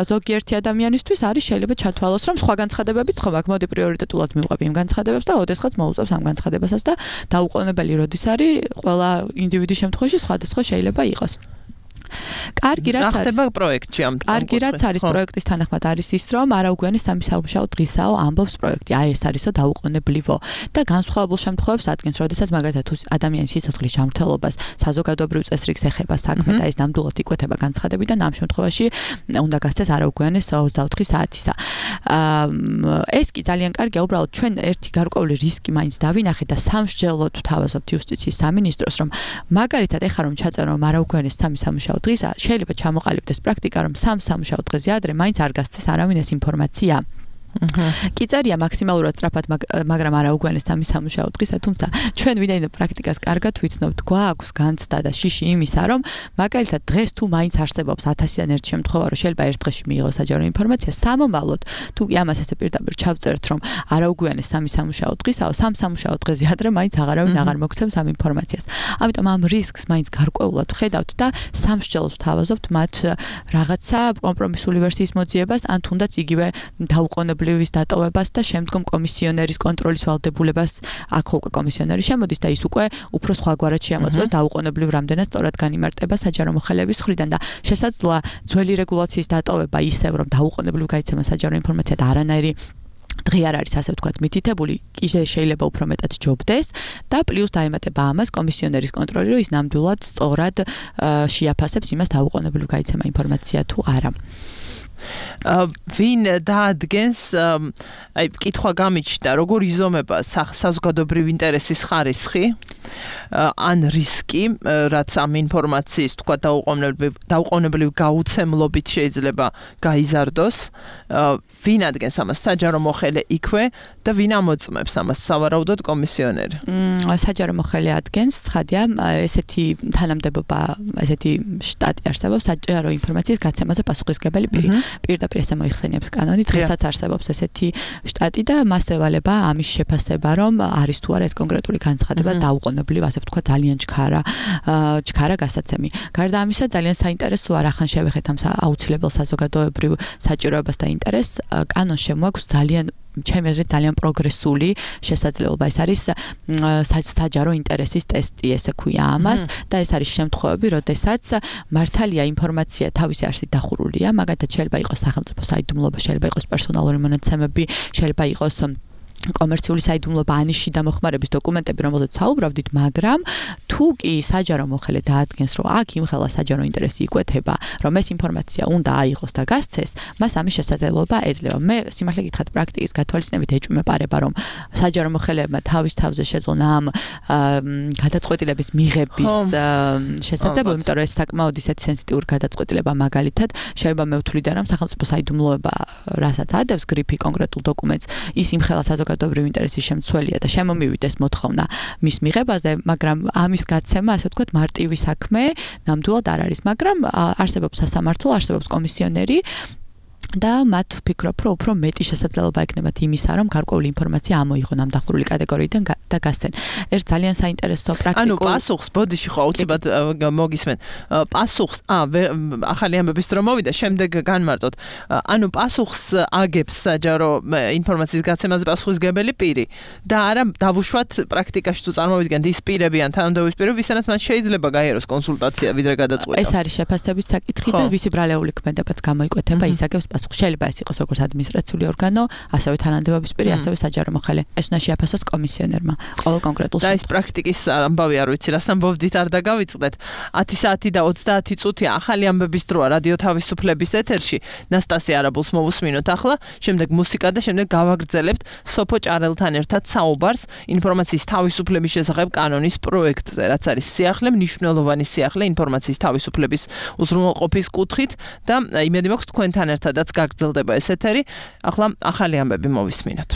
ზოგიერთი ადამიანისთვის არის შეიძლება ჩათვალოს, რომ სხვა განცხადებებიც ხომ აქ მოდი პრიორიტეტულად მივყვები იმ განცხადებებს და ოდესღაც მოუწევს ამ განცხადებასაც და დაუყოვნებელი როდის არის ყველა ინდივიდის შემთხვევაში სხვადასხვა შეიძლება იყოს. კარგი რაც არის ხდება პროექტში ამ კარგი რაც არის პროექტის თანახმად არის ის რომ არაუგვიანი სამი სამუშაო დღისაო ამბობს პროექტი აი ეს არისო დაუყოვნებლივო და განსხვავებულ შემთხვევებს ადგენს როდესაც მაგალითად თუ ადამიანის სიცოცხლის ჯანმრთელობას საზოგადოებრივ წესრიგს ეხება საქმე და ეს ნამდვილად იკვეთება განცხადებიდან ამ შემთხვევაში უნდა გასცეს არაუგვიანეს 24 საათისა ეს კი ძალიან კარგია უბრალოდ ჩვენ ერთი გარკვეული რისკი მაინც დავინახეთ და სამსჯელოდ ვთავაზობთ იუსტიციის სამინისტროს რომ მაგალითად ეხლა რომ ჩაწერო არაუგვიანეს სამი სამუშაო დღისა შეიძლება ჩამოყალიბდეს პრაქტიკა რომ სამ სამუშაო დღეზე ადრე მაინც არ გასცეს არავინ ეს ინფორმაცია კი წერია მაქსიმალურად სწრაფად მაგრამ არაუგვიანეს სამი სამუშაო დღისა თუმცა ჩვენ ვინაიდან პრაქტიკას კარგად ვიცნობთ გვაქვს განცდა და შიში იმისა რომ მაგალითად დღეს თუ მაინც არსებობს 1000-დან ერთ შემთხვევა რომ შეიძლება ერთ დღეში მიიღოს საჯარო ინფორმაცია სამომავლოდ თუ ამას ესე პირდაპირ ჩავწერთ რომ არაუგვიანეს სამი სამუშაო დღისაო სამ სამუშაო დღეზე ადრე მაინც აღარავინ აღარ მოგცემს ამ ინფორმაციას ამიტომ ამ რისკს მაინც გარკვეულად ვხედავთ და სამსჯელოს ვთავაზობთ მათ რაღაცა კომპრომისული ვერსიის მოძიებას ან თუნდაც იგივე დაუყოვნებლივ ვის დატოვებას და შემდგომ კომისიონერის კონტროლის ვალდებულებას აქ უკვე კომისიონერი შემოდის და ის უკვე უფრო სხვაგვარად შეამოწმებს დაუყოვნებლივ რამდენად სწორად განიმარტება საჯარო მოხელეების მხრიდან და შესაძლოა ძველი რეგულაციის დატოვება ისევ რომ დაუყოვნებლივ გაიცემა საჯარო ინფორმაცია და არანაირი დღე არ არის ასე ვთქვათ მითითებული კიდე შეიძლება უფრო მეტად ჯობდეს და პლუს დაემატება ამას კომისიონერის კონტროლი რომ ის ნამდვილად სწორად შეაფასებს იმას დაუყოვნებლივ გაიცემა ინფორმაცია თუ არა ვინ დაადგენს აი კითხვა გამიჩნდა როგორ იზომება საზოგადოებრივი ინტერესის ხარისხი ან რისკი რაც ამ ინფორმაციის თქვა დაუყოვნებლივ გაუცემლობით შეიძლება გაიზარდოს ვინ ადგენს ამას საჯარო მოხელე იქვე და ვინ ამოწმებს ამას სავარაუდოდ კომისიონერი საჯარო მოხელე ადგენს ცხადია ესეთი თანამდებობა ესეთი შტატი არსებობს საჯარო ინფორმაციის გაცემაზე პასუხისმგებელი პირი პირდაპირ ესე მოიხსენიებს კანონი დღესაც არსებობს ესეთი შტატი და მას ევალება ამის შეფასება რომ არის თუ არა ეს კონკრეტული განცხადება დაუყოვნებლივ ასე ვთქვა ძალიან ჩქარა გასაცემი გარდა ამისა ძალიან საინტერესოა რახან შევეხეთ ამ აუცილებელ საზოგადოებრივ საჭიროებას და ინტერესს კანონს შემოაქვს ძალიან ჩემი აზრით ძალიან პროგრესული შესაძლებლობა ეს არის საჯარო ინტერესის ტესტი ესე ქვია ამას და ეს არის შემთხვევები როდესაც მართალია ინფორმაცია თავისი არსით დახურულია მაგალითად შეიძლება იყოს სახელმწიფო საიდუმლოება შეიძლება იყოს პერსონალური მონაცემები შეიძლება იყოს კომერციული საიდუმლოება ანიში დამოხმარების დოკუმენტები, რომელზეც საუბრობდით, მაგრამ თუ კი საჯარო მოხელე დაადგენს, რომ აქ იმხელა საჯარო ინტერესი იკვეთება, რომ ეს ინფორმაცია უნდა აიღოს და გასცეს, მას ამის შესაძლებლობა ეძლევა. მე სიმართლე გითხრათ, პრაქტიკის გათვალისწინებით ეჭვმეპარება, რომ საჯარო მოხელებმა თავის თავზე შეძლონ ამ გადაწყვეტილების მიღების შესაძლებლობა, იმიტომ რომ ეს საკმაოდ ისეთი სენსიტიური გადაწყვეტილება მაგალითად, შეიძლება მე ვთვლიდე, რომ სახელმწიფო საიდუმლოება, რასაც ადევს გრიფი კონკრეტულ დოკუმენტს, ის იმხელა საზოგადოებრივი ინტერესის შემცველია და შემომივიდეს მოთხოვნა მის მიღებაზე, მაგრამ ამის გაცემა, ასე ვთქვათ, მარტივი საქმე ნამდვილად არ არის, მაგრამ არსებობს სასამართლო, არსებობს კომისიონერი და მათ ვფიქრობ, რომ უფრო მეტი შესაძლებლობა ექნებათ იმისა, რომ გარკვეული ინფორმაცია ამოიღონ ამ დახურული კატეგორიიდან და გასცენ. ერთ ძალიან საინტერესო პრაქტიკულ ანუ პასუხს ბოდიში ხო აუცილებლად მოგისმენ. პასუხს ახალი ამბების დრო მოვიდა, შემდეგ განმარტოთ. ანუ პასუხს აგებს საჯარო ინფორმაციის გაცემაზე პასუხისგებელი პირი და არა დავუშვათ პრაქტიკაში თუ წარმოვიდგენთ ის პირები ან თანამდებობის პირები, ვისთანაც მან შეიძლება გაიაროს კონსულტაცია ვიდრე გადაწყვეტა. ეს არის შეფასების საკითხი და ვისი ბრალეული ქმედებაც გამოიკვეთება, ის აგებს პასუხს. შეიძლება ეს იყოს როგორც ადმინისტრაციული ორგანო, ასევე თანამდებობის პირი, ასევე საჯარო მოხელე. ეს უნდა შეაფასოს კომისიონერმა ყოველ კონკრეტულ და ეს პრაქტიკის ამბავი არ ვიცი, რას ამბობდით არ დაგავიწყდეთ. 10 საათი და 30 წუთია ახალი ამბების დროა რადიო თავისუფლების ეთერში. ნასტასია არაბულს მოვუსმინოთ ახლა, შემდეგ მუსიკა და შემდეგ გავაგრძელებთ სოფო ჭარელთან ერთად საუბარს ინფორმაციის თავისუფლების შესახებ კანონის პროექტზე, რაც არის სიახლე, მნიშვნელოვანი სიახლე ინფორმაციის თავისუფლების უზრუნველყოფის კუთხით და იმედი მაქვს თქვენთან ერთადაც გაგრძელდება ეს ეთერი. ახლა ახალი ამბები მოვისმინოთ.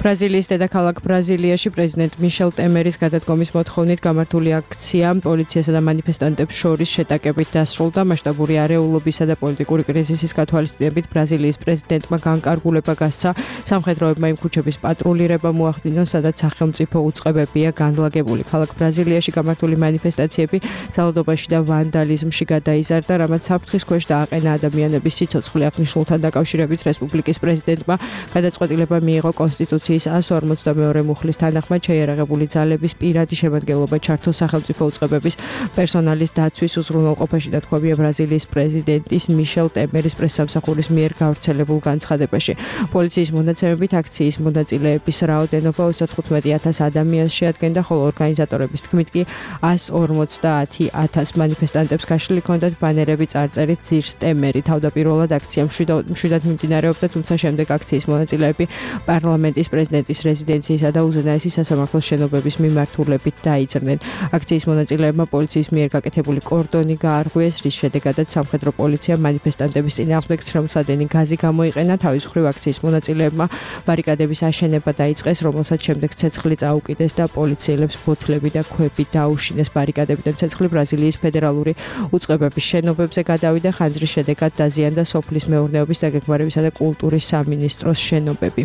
ბრაზილიის დედაქალაქ ბრაზილიაში პრეზიდენტ მიშელ ტემერის გადადგომის მოთხოვნით გამართული აქცია პოლიციასა და მანიფესტანტებს შორის შეტაკებით დასრულდა. მასშტაბური არეულობისა და პოლიტიკური კრიზისის გათვალისწინებით ბრაზილიის პრეზიდენტმა განკარგულება გასცა. სამხედროებმა იმ ქუჩების პატრულირება მოახდინონ, სადაც სახელმწიფო უწყებებია განლაგებული. ქალაქ ბრაზილიაში გამართული მანიფესტაციები ძალადობაში და ვანდალიზმში გადაიზარდა, რამაც საფრთხის ქვეშ დააყენა ადამიანების სიცოცხლე. აღნიშნულთან დაკავშირებით რესპუბლიკის პრეზიდენტმა გადაწყვეტილება მიიღო კონსტიტუციის 152 მუხლის თანახმად შეიარაღებული ძალების პირადი შემადგენლობა ჩართოს სახელმწიფო უწყებების პერსონალის დაცვის უზრუნველყოფაში და თქვებია ბრაზილიის პრეზიდენტის მიშელ ტემერის პრესსამსახურის მიერ გავრცელებულ განცხადებაში. პოლიციის მონაცემებით აქციის მონაწილეების რაოდენობა 35,000 ადამიანს შეადგენდა, ხოლო ორგანიზატორების თქმით კი 150,000 მანიფესტანტებს გაშლილი ჰქონდათ ბანერები წარწერით ძირს ტემერი. თავდაპირველად აქცია მშვიდად მიმდინარეობდა, თუმცა შემდეგ აქციის მონაწილეები პარლამენტის პრეზიდენტის რეზიდენციისა და უზენაესი სასამართლოს შენობების მიმართულებით დაიძრნენ. აქციის მონაწილეებმა პოლიციის მიერ გაკეთებული კორდონი გაარღვიეს, რის შედეგადაც სამხედრო პოლიცია მანიფესტანტების წინააღმდეგ ცრემლსადენი გაზი გამოიყენა. თავის მხრივ აქციის მონაწილეებმა ბარიკადების აშენება დაიწყეს, რომელსაც შემდეგ ცეცხლი წაუკიდეს და პოლიციელებს ბოთლები და ქვები დაუშინეს. ბარიკადებიდან ცეცხლი ბრაზილიის ფედერალური უწყებების შენობებზე გადავიდა, ხანძრის შედეგად დაზიანდა სოფლის მეურნეობის, დაგეგმარებისა და კულტურის სამინისტროს შენობები.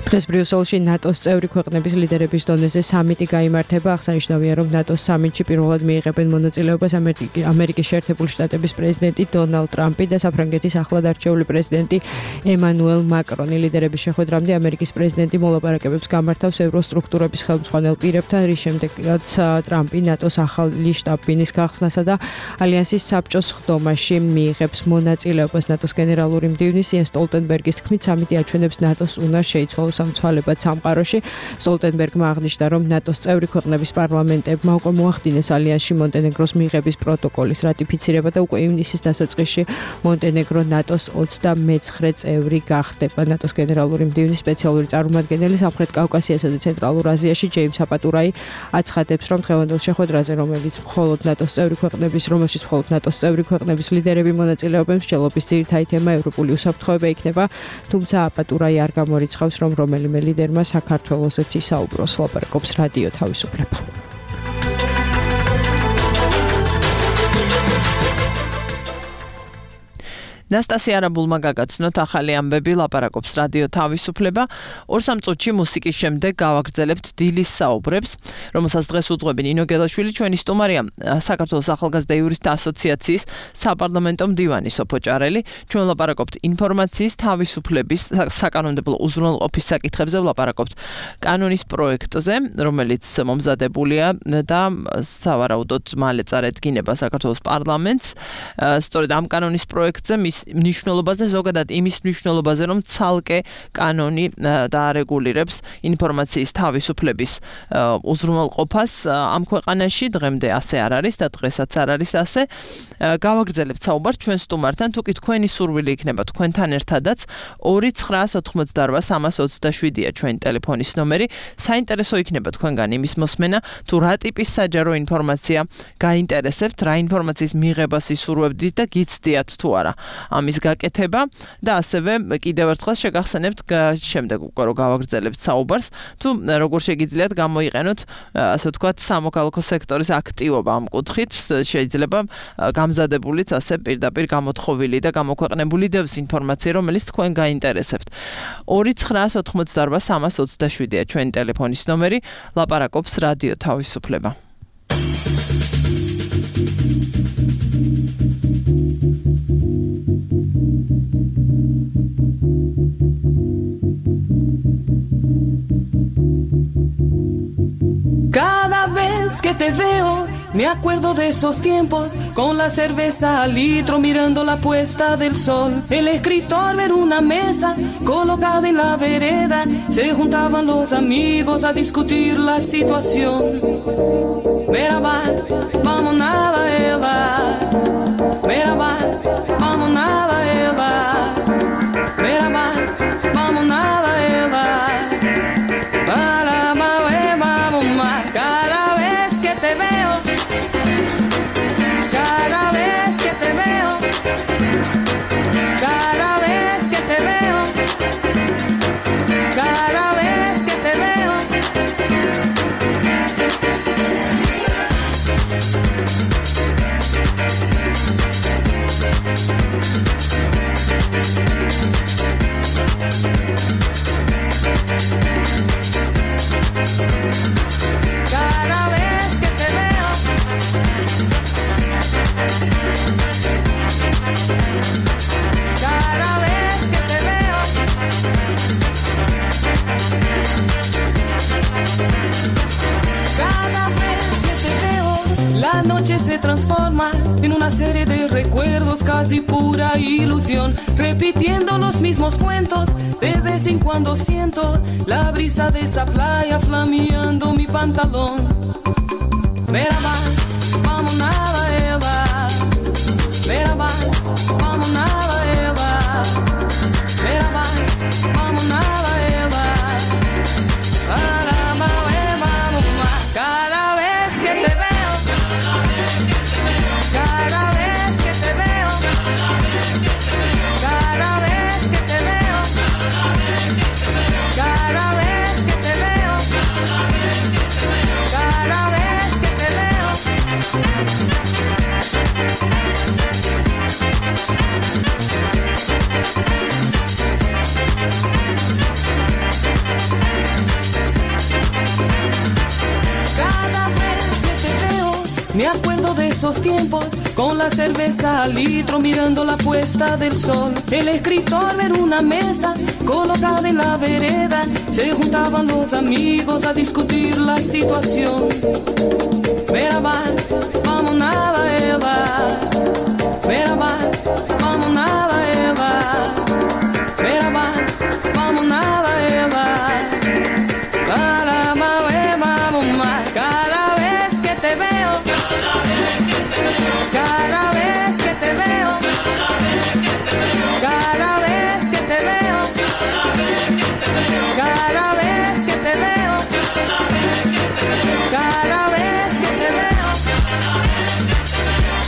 დღეს ბრიუსელში ნატოს წევრი ქვეყნების ლიდერების დონეზე სამიტი გაიმართება. აღსანიშნავია, რომ ნატოს სამიტში პირველად მიიღებენ მონაწილეობას ამერიკის შეერთებული შტატების პრეზიდენტი დონალდ ტრამპი და საფრანგეთის ახლად არჩეული პრეზიდენტი ემანუელ მაკრონი. ლიდერების შეხვედრამდე ამერიკის პრეზიდენტი მოლაპარაკებებს გამართავს ევროსტრუქტურების ხელმძღვანელ პირებთან, რის შემდეგაც ტრამპი ნატოს ახალი შტაბ-ბინის გახსნასა და ალიანსის საბჭოს ხდომაში მიიღებს მონაწილეობას. ნატოს გენერალური მდივნის იენს სტოლტენბერგის თქმით, სამიტი აჩვენებს ნატოს უნარს შეიცვალოს სამცვალებად სამყაროში. სტოლტენბერგმა აღნიშნა, რომ ნატოს წევრი ქვეყნების პარლამენტებმა უკვე მოახდინეს ალიანსში მონტენეგროს მიღების პროტოკოლის რატიფიცირება და უკვე ივნისის დასაწყისში მონტენეგრო ნატოს 29 წევრი გახდება. ნატოს გენერალური მდივნის სპეციალური წარმომადგენელი სამხრეთ კავკასიასა და ცენტრალურ აზიაში ჯეიმს აპატურაი აცხადებს, რომ დღევანდელ შეხვედრაზე, რომელშიც მხოლოდ ნატოს წევრი ქვეყნების ლიდერები მონაწილეობენ, მსჯელობის ძირითადი თემა ევროპული უსაფრთხოება იქნება, თუმცა აპატურაი არ გამორიცხავს, რომ რომელიმე ლიდერმა საქართველოსაც ისაუბროს. ლაპარაკობს რადიო თავისუფლება. ნასტასია არაბულმა გაგაცნოთ ახალი ამბები, ლაპარაკობს რადიო თავისუფლება. 2-3 წუთში მუსიკის შემდეგ გავაგრძელებთ დილის საუბრებს, რომელსაც დღეს უძღვები ნინო გელაშვილი, ჩვენი სტუმარია საქართველოს ახალგაზრდა იურისტთა ასოციაციის საპარლამენტო მდივანი სოფო ჭარელი. ჩვენ ლაპარაკობთ ინფორმაციის თავისუფლების საკანონმდებლო უზრუნველყოფის საკითხებზე, ლაპარაკობთ კანონის პროექტზე, რომელიც მომზადებულია და სავარაუდოდ მალე წარედგინება საქართველოს პარლამენტს. სწორედ ამ კანონის პროექტზე მის მნიშვნელობაზე, ზოგადად იმის მნიშვნელობაზე, რომ ცალკე კანონი დაარეგულირებს ინფორმაციის თავისუფლების უზრუნველყოფას ამ ქვეყანაში. დღემდე ასე არ არის და დღესაც არ არის ასე. გავაგრძელებთ საუბარს ჩვენ სტუმართან, თუკი თქვენი სურვილი იქნება თქვენთან ერთადაც 2988327-ია ჩვენი ტელეფონის ნომერი. საინტერესო იქნება თქვენგან იმის მოსმენა, თუ რა ტიპის საჯარო ინფორმაცია გაინტერესებთ, რა ინფორმაციის მიღებას ისურვებდით და გიცდიათ თუ არა ამის გაკეთება და ასევე კიდევ ერთხელ შეგახსენებთ შემდეგ უკვე რომ გავაგრძელებთ საუბარს, თუ როგორ შეგიძლიათ გამოიყენოთ ასე ვთქვათ სამოქალაქო სექტორის აქტივობა ამ კუთხით, შეიძლება გამზადებულიც ასე პირდაპირ გამოთხოვილი და გამოქვეყნებული დევს ინფორმაცია, რომელიც თქვენ გაინტერესებთ. 2988327-ია ჩვენი ტელეფონის ნომერი, ლაპარაკობს რადიო თავისუფლება. Cada vez que te veo, me acuerdo de esos tiempos, con la cerveza al litro mirando la puesta del sol. El escritor ver una mesa colocada en la vereda, se juntaban los amigos a discutir la situación. Merhaba, vamos nada ela. Merhaba, vamos nada ela. Merhaba, vamos nada ela. Cada vez que te veo, cada vez que te veo, cada vez que te veo, cada vez que te veo. Cada vez que te veo, cada vez que te veo, cada vez que te veo, la noche se transforma en una serie de recuerdos, casi pura ilusión, repitiendo los mismos cuentos. De vez en cuando siento la brisa de esa playa flameando mi pantalón. Merhaba, vamos nada ela. Merhaba, vamos nada ela. Merhaba, vamos nada ela. Cada vez que te veo, cada vez que te veo, cada vez que te veo, cada vez que te veo, cada vez que te veo. Cada vez que te veo, me acuerdo de esos tiempos, con la cerveza al litro mirando la puesta del sol. El escritor ver una mesa colocada en la vereda, se juntaban los amigos a discutir la situación. Merhaba, vamos nada ela. Merhaba, vamos nada ela. Merhaba, vamos nada ela. Cada vez que te veo, cada vez que te veo, cada vez que te veo, cada vez que te veo, cada vez que te veo,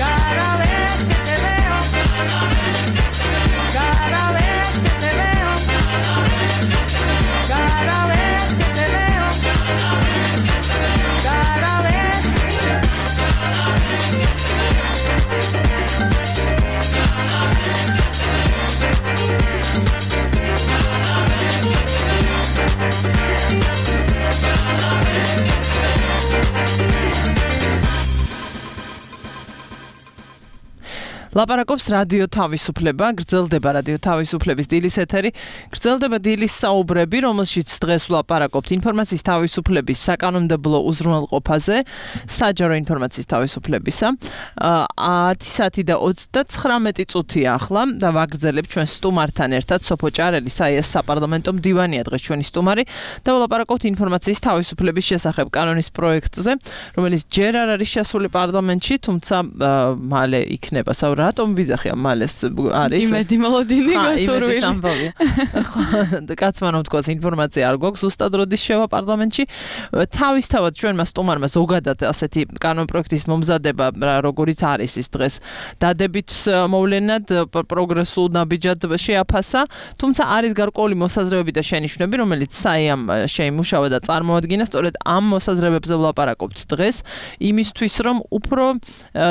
cada vez que te veo, ლაპარაკობს რადიო თავისუფლება, გრძელდება რადიო თავისუფლების დილის ეთერი, გრძელდება დილის საუბრები, რომელშიც დღეს ვლაპარაკობთ ინფორმაციის თავისუფლების საკანონმდებლო უზრუნველყოფაზე, საჯარო ინფორმაციის თავისუფლებისა. 10 საათი და 39 წუთია ახლა და ვაგრძელებ ჩვენ სტუმართან ერთად სოფო ჭარელი, საიას საპარლამენტო მდივანია დღეს ჩვენი სტუმარი და ვლაპარაკობთ ინფორმაციის თავისუფლების შესახებ კანონის პროექტზე, რომელიც ჯერ არ არის შესული პარლამენტში, თუმცა მალე იქნება. რატომ ვიძახია მალეს არის იმედი მოლოდინი გასურვილი. იმედის ამბავია. კაცმა რომ თქვას ინფორმაცია არ გვაქვს ზუსტად როდის შევა პარლამენტში. თავისთავად ჩვენმა სტუმარმა ზოგადად ასეთი კანონპროექტის მომზადება როგორიც არის ის დღეს დადებით მოვლენად პროგრესულ ნაბიჯად შეაფასა, თუმცა არის გარკვეული მოსაზრებები და შენიშვნები, რომელიც საიამ შეიმუშავა და წარმოადგინა, სწორედ ამ მოსაზრებებზე ვლაპარაკობთ დღეს, იმისთვის რომ უფრო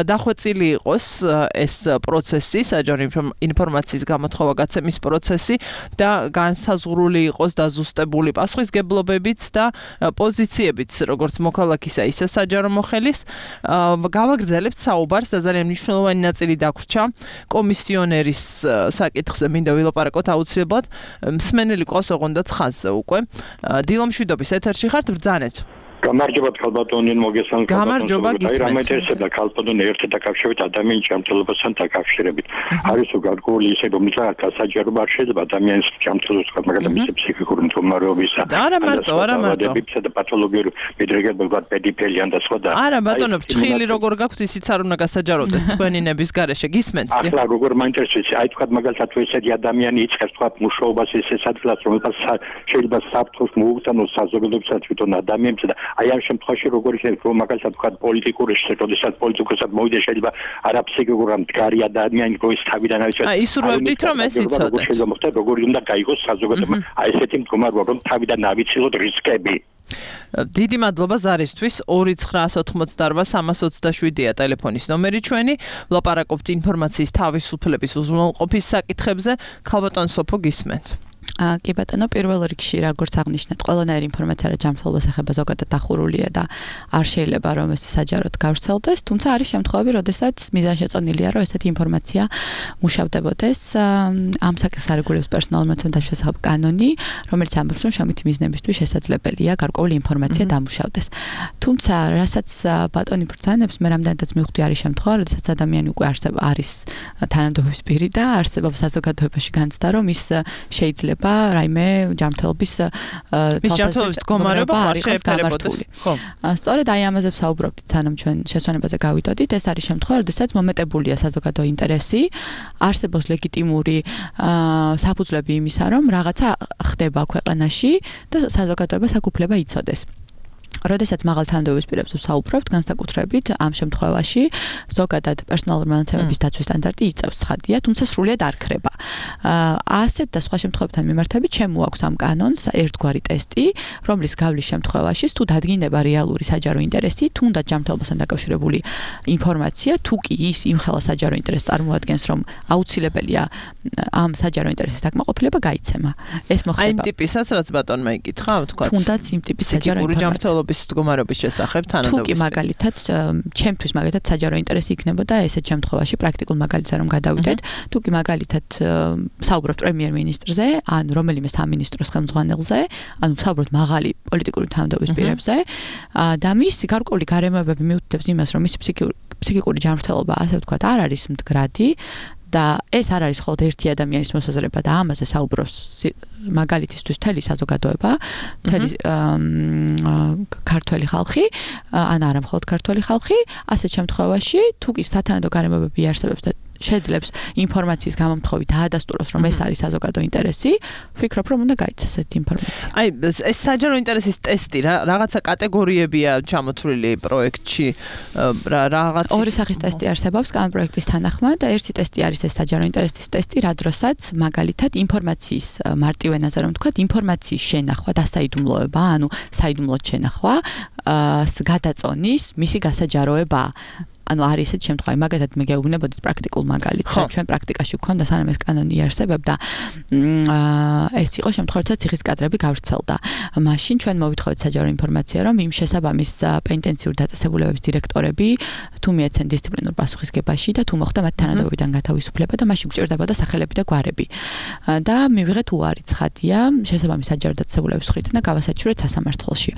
დახვეწილი იყოს ეს პროცესი, საჯარო ინფორმაციის გამოთხოვა გაცემის პროცესი და განსაზღვრული იყოს დაზუსტებული პასუხისგებლობებიც და პოზიციებიც, როგორც მოქალაქისა, ისე საჯარო მოხელის. გავაგრძელებთ საუბარს და ძალიან მნიშვნელოვანი ნაწილი დაგვრჩა კომისიონერის საკითხზე მინდა ვილაპარაკოთ აუცილებლად. მსმენელი ყავს ოღონდ ხაზზე უკვე. დილომშვიდობის ეთერში ხართ, ბრძანეთ. გამარჯობა ქალბატონი მოგესალმებით. გამარჯობა გისმენთ. რამეთესება ქალბატონი ერთად დაკავშირებით ადამიანის ჯანმრთელობასთან დაკავშირებით. არის გარკვეული ისე რომელსაც გასაჯაროება არ შეიძლება ადამიანის ჯანმრთელობას, მაგალითად მისი ფსიქიკური მდგომარეობისა და პათოლოგიური მიდრეკებებად პედიფელიან და სხვა და არა ბატონო, ჭხილი როგორ გაქვთ ისიც არ უნდა გასაჯაროდეს თქვენი ნების გარეშე გისმენთ. ახლა როგორ მაინტერესებს, აი თქვა მაგალითად თუ ესეთი ადამიანი იწყებს თქვა მუშაობას ისე ადგილას, რომელსაც შეიძლება საფრთხეს მოუწონოს საზოგადოებასაც თვითონ ადამიანებს და აი ამ შემთხვევაში როგორ შეიძლება რომ მაგალითად თქვა პოლიტიკური შესაძლებლობისას პოლიტიკოსად მოვიდეს შეიძლება არაფსიქიკური მდგარი ადამიანი როის თავიდან არის აი ისურვებდით რომ ეს იცოდეთ შეიძლება მოხდეს როგორ უნდა გაიგოს საზოგადოება აი ესეთი მდგომარეობა რომ თავიდან ავიცილოთ რისკები. დიდი მადლობა ზარისთვის 2988327-ია ტელეფონის ნომერი ჩვენი. ვლაპარაკობთ ინფორმაციის თავისუფლების უზრუნველყოფის საკითხებზე. ქალბატონ სოფო გისმენთ. კი ბატონო, პირველ რიგში როგორც აღნიშნეთ, ყველანაირი ინფორმაცია რა ჯანმრთელობას ეხება ზოგადად დახურულია და არ შეიძლება რომ ეს საჯაროდ გავრცელდეს, თუმცა არის შემთხვევები, როდესაც მიზანშეწონილია რომ ესეთი ინფორმაცია მუშავდებოდეს. ამ საკითხს არეგულირებს პერსონალური მეთოდების შესახებ კანონი, რომელიც ამბობს, რომ შრომითი მიზნებისთვის შესაძლებელია გარკვეული ინფორმაცია დამუშავდეს. თუმცა, რასაც ბატონი ბრძანებს, მე რამდენადაც მივხვდი არის შემთხვევა, როდესაც ადამიანი უკვე არის თანამდებობის პირი და არსებობს საზოგადოებაში განცდა, რომ ის შეიძლება რაიმე ჯანმრთელობის მდგომარეობა არ შეეფერებოდეს. ხო. სწორედ აი ამაზე ვსაუბრობთ, სანამ ჩვენ შესვენებაზე გავიდოდით, ეს არის შემთხვევა, როდესაც მომეტებულია საზოგადო ინტერესი, არსებობს ლეგიტიმური საფუძვლები იმისა, რომ რაღაცა ხდება ქვეყანაში და საზოგადოებას აქ უფლება იცოდეს. როდესაც მაღალ თანამდებობის პირებზე ვსაუბრობთ, განსაკუთრებით ამ შემთხვევაში ზოგადად პერსონალური მონაცემების დაცვის სტანდარტი იწევს ცხადია, თუმცა სრულიად არ ქრება. ასეთ და სხვა შემთხვევებთან მიმართებით შემოაქვს ამ კანონს ერთგვარი ტესტი, რომლის გავლის შემთხვევაში თუ დადგინდება რეალური საჯარო ინტერესი, თუნდაც ჯანმრთელობასთან დაკავშირებული ინფორმაცია, თუ კი ის იმხელა საჯარო ინტერესს წარმოადგენს, რომ აუცილებელია ამ საჯარო ინტერესის დაკმაყოფილება, გაიცემა. ეს მოხდება. აი იმ ტიპისაც რაც ბატონმა იკითხა, თქვა. თუნდაც იმ ტიპის საჯარო ინფორმაცია მდგომარეობის შესახებ თანამდებობის. თუ კი მაგალითად, ჩემთვის მაგალითად საჯარო ინტერესი იქნებოდა ესეთ შემთხვევაში პრაქტიკულ მაგალითზე რომ გადავიდეთ, თუ კი მაგალითად საუბრობთ პრემიერ-მინისტრზე, ან რომელიმე სამინისტროს ხელმძღვანელზე, ანუ საუბრობთ მაღალი პოლიტიკური თანამდებობის პირებზე, და მისი გარკვეული გარემოებები მიუთითებს იმას, რომ მისი ფსიქიკური ჯანმრთელობა, ასე ვთქვათ, არ არის მდგრადი. და ეს არ არის მხოლოდ ერთი ადამიანის მოსაზრება და ამაზე საუბრობს მაგალითისთვის მთელი საზოგადოება, მთელი ქართველი ხალხი, ან არა მხოლოდ ქართველი ხალხი, ასეთ შემთხვევაში თუ კი სათანადო გარემოებები არსებობს და შეძლებს ინფორმაციის გამომთხოვი დაადასტუროს, რომ ეს არის საზოგადო ინტერესი, ვფიქრობ, რომ უნდა გაიცეს ეს ინფორმაცია. აი, ეს საჯარო ინტერესის ტესტი რაღაცა კატეგორიებია ჩამოთვლილი პროექტში, რაღაცა ორი სახის ტესტი არსებობს კანონპროექტის თანახმად. ერთი ტესტი არის ეს საჯარო ინტერესის ტესტი, რა დროსაც მაგალითად ინფორმაციის მარტივ ენაზე რომ ვთქვათ, ინფორმაციის შენახვა და საიდუმლოება, ანუ საიდუმლოდ შენახვა, გადაწონის მისი გასაჯაროება. ანუ არის ესეთი შემთხვევა, მაგათად მე გეუბნებოდით პრაქტიკულ მაგალითს, რომ ჩვენ პრაქტიკაში გვქონდა სანამ ეს კანონი იარსებებდა, ეს იყო შემთხვევა, როდესაც ციხის კადრები გავრცელდა. მაშინ ჩვენ მოვითხოვეთ საჯარო ინფორმაცია, რომ იმ შესაბამის პენიტენციური დაწესებულებების დირექტორები თუ მიეცენ დისციპლინურ პასუხისგებაში და თუ მოხდა მათ თანამდებობიდან გათავისუფლება და მაშინ გვჭირდებოდა სახელები და გვარები. და მივიღეთ უარი ცხადია შესაბამის საჯარო დაწესებულების მხრიდან და გავასაჩივრეთ სასამართლოში.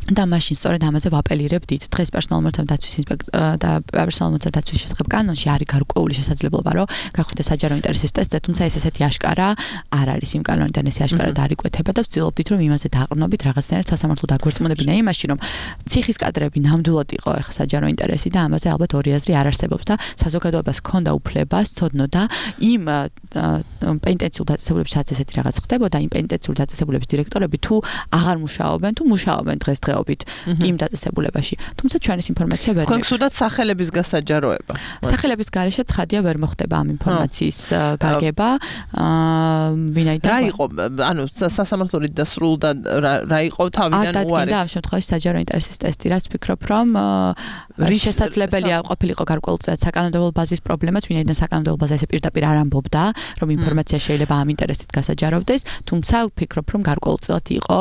და მაშინ სწორედ ამაზე ვაპელირებდით. დღეს პერსონალურ დაცვის ინსპექტორ და პერსონალურ დაცვის შესახებ კანონში არის გარკვეული შესაძლებლობა, რომ გახვიდე საჯარო ინტერესის ტესტზე, თუმცა ეს ესეთი აშკარა არ არის იმ კანონიდან, ეს აშკარად არ იკვეთება და ვცდილობდით, რომ იმაზე დააყრდნობით რაღაცნაირად სასამართლო დაგვერწმუნებინა იმაში, რომ ციხის კადრები ნამდვილად იყო ახლა საჯარო ინტერესი და ამაზე ალბათ ორი აზრი არ არსებობს და საზოგადოებას ჰქონდა უფლება სწოდნოდა იმ პენიტენციურ დაწესებულებში, სადაც ესეთი რაღაც ხდებოდა, იმ პენიტენციურ დაწესებულების დირექტორები თუ აღარ მუშაობენ, თუ მუშაობენ დღესდღეობით იმ დაწესებულებაში. თუმცა ჩვენ ეს ინფორმაცია ვერ გვაქვს უდად სახელების გასაჯაროება. სახელების გარეშე ცხადია ვერ მოხდება ამ ინფორმაციის გაგება. ვინაიდან რა იყო, ანუ სასამართლოებით დასრულდა რა იყო თავიდან უარი. და ამ შემთხვევაში საჯარო ინტერესის ტესტი, რაც ვფიქრობ, რომ შესაძლებელია ყოფილიყო გარკვეულწილად საკანონმდებლო ბაზის პრობლემაც, ვინაიდან საკანონმდებლო ბაზა ესე პირდაპირ არ ამბობდა, რომ ინფორმაცია შეიძლება ამ ინტერესით გასაჯაროვდეს, თუმცა ვფიქრობ, რომ გარკვეულწილად იყო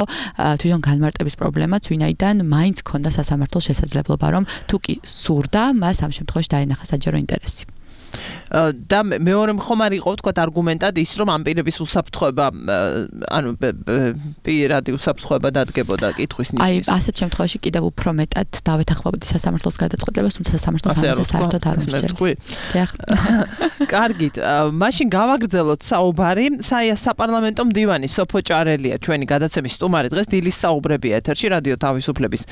თვითონ განმარტების პრობლემაც, ვინაიდან მაინც ქონდა სასამართლოს შესაძლებლობა, რომ თუ კი სურდა, მას ამ შემთხვევაში დაენახა საჯარო ინტერესი. და მეორე ხომ არ იყო თქვა არგუმენტად ის რომ ამ პირების უსაფრთხოება ანუ პირადი უსაფრთხოება დადგებოდა კითხვის ნიშნის. აი ასეთ შემთხვევაში კიდევ უფრო მეტად დავეთანხმებოდი სასამართლოს გადაწყვეტილებას, თუმცა სასამართლოს ამაზე საერთოდ არ უსჯერს. კარგით, მაშინ გავაგრძელოთ საუბარი. საპარლამენტო მდივანი სოფო ჭარელია ჩვენი გადაცემის სტუმარი. დღეს დილის საუბრებია ეთერში რადიო თავისუფლების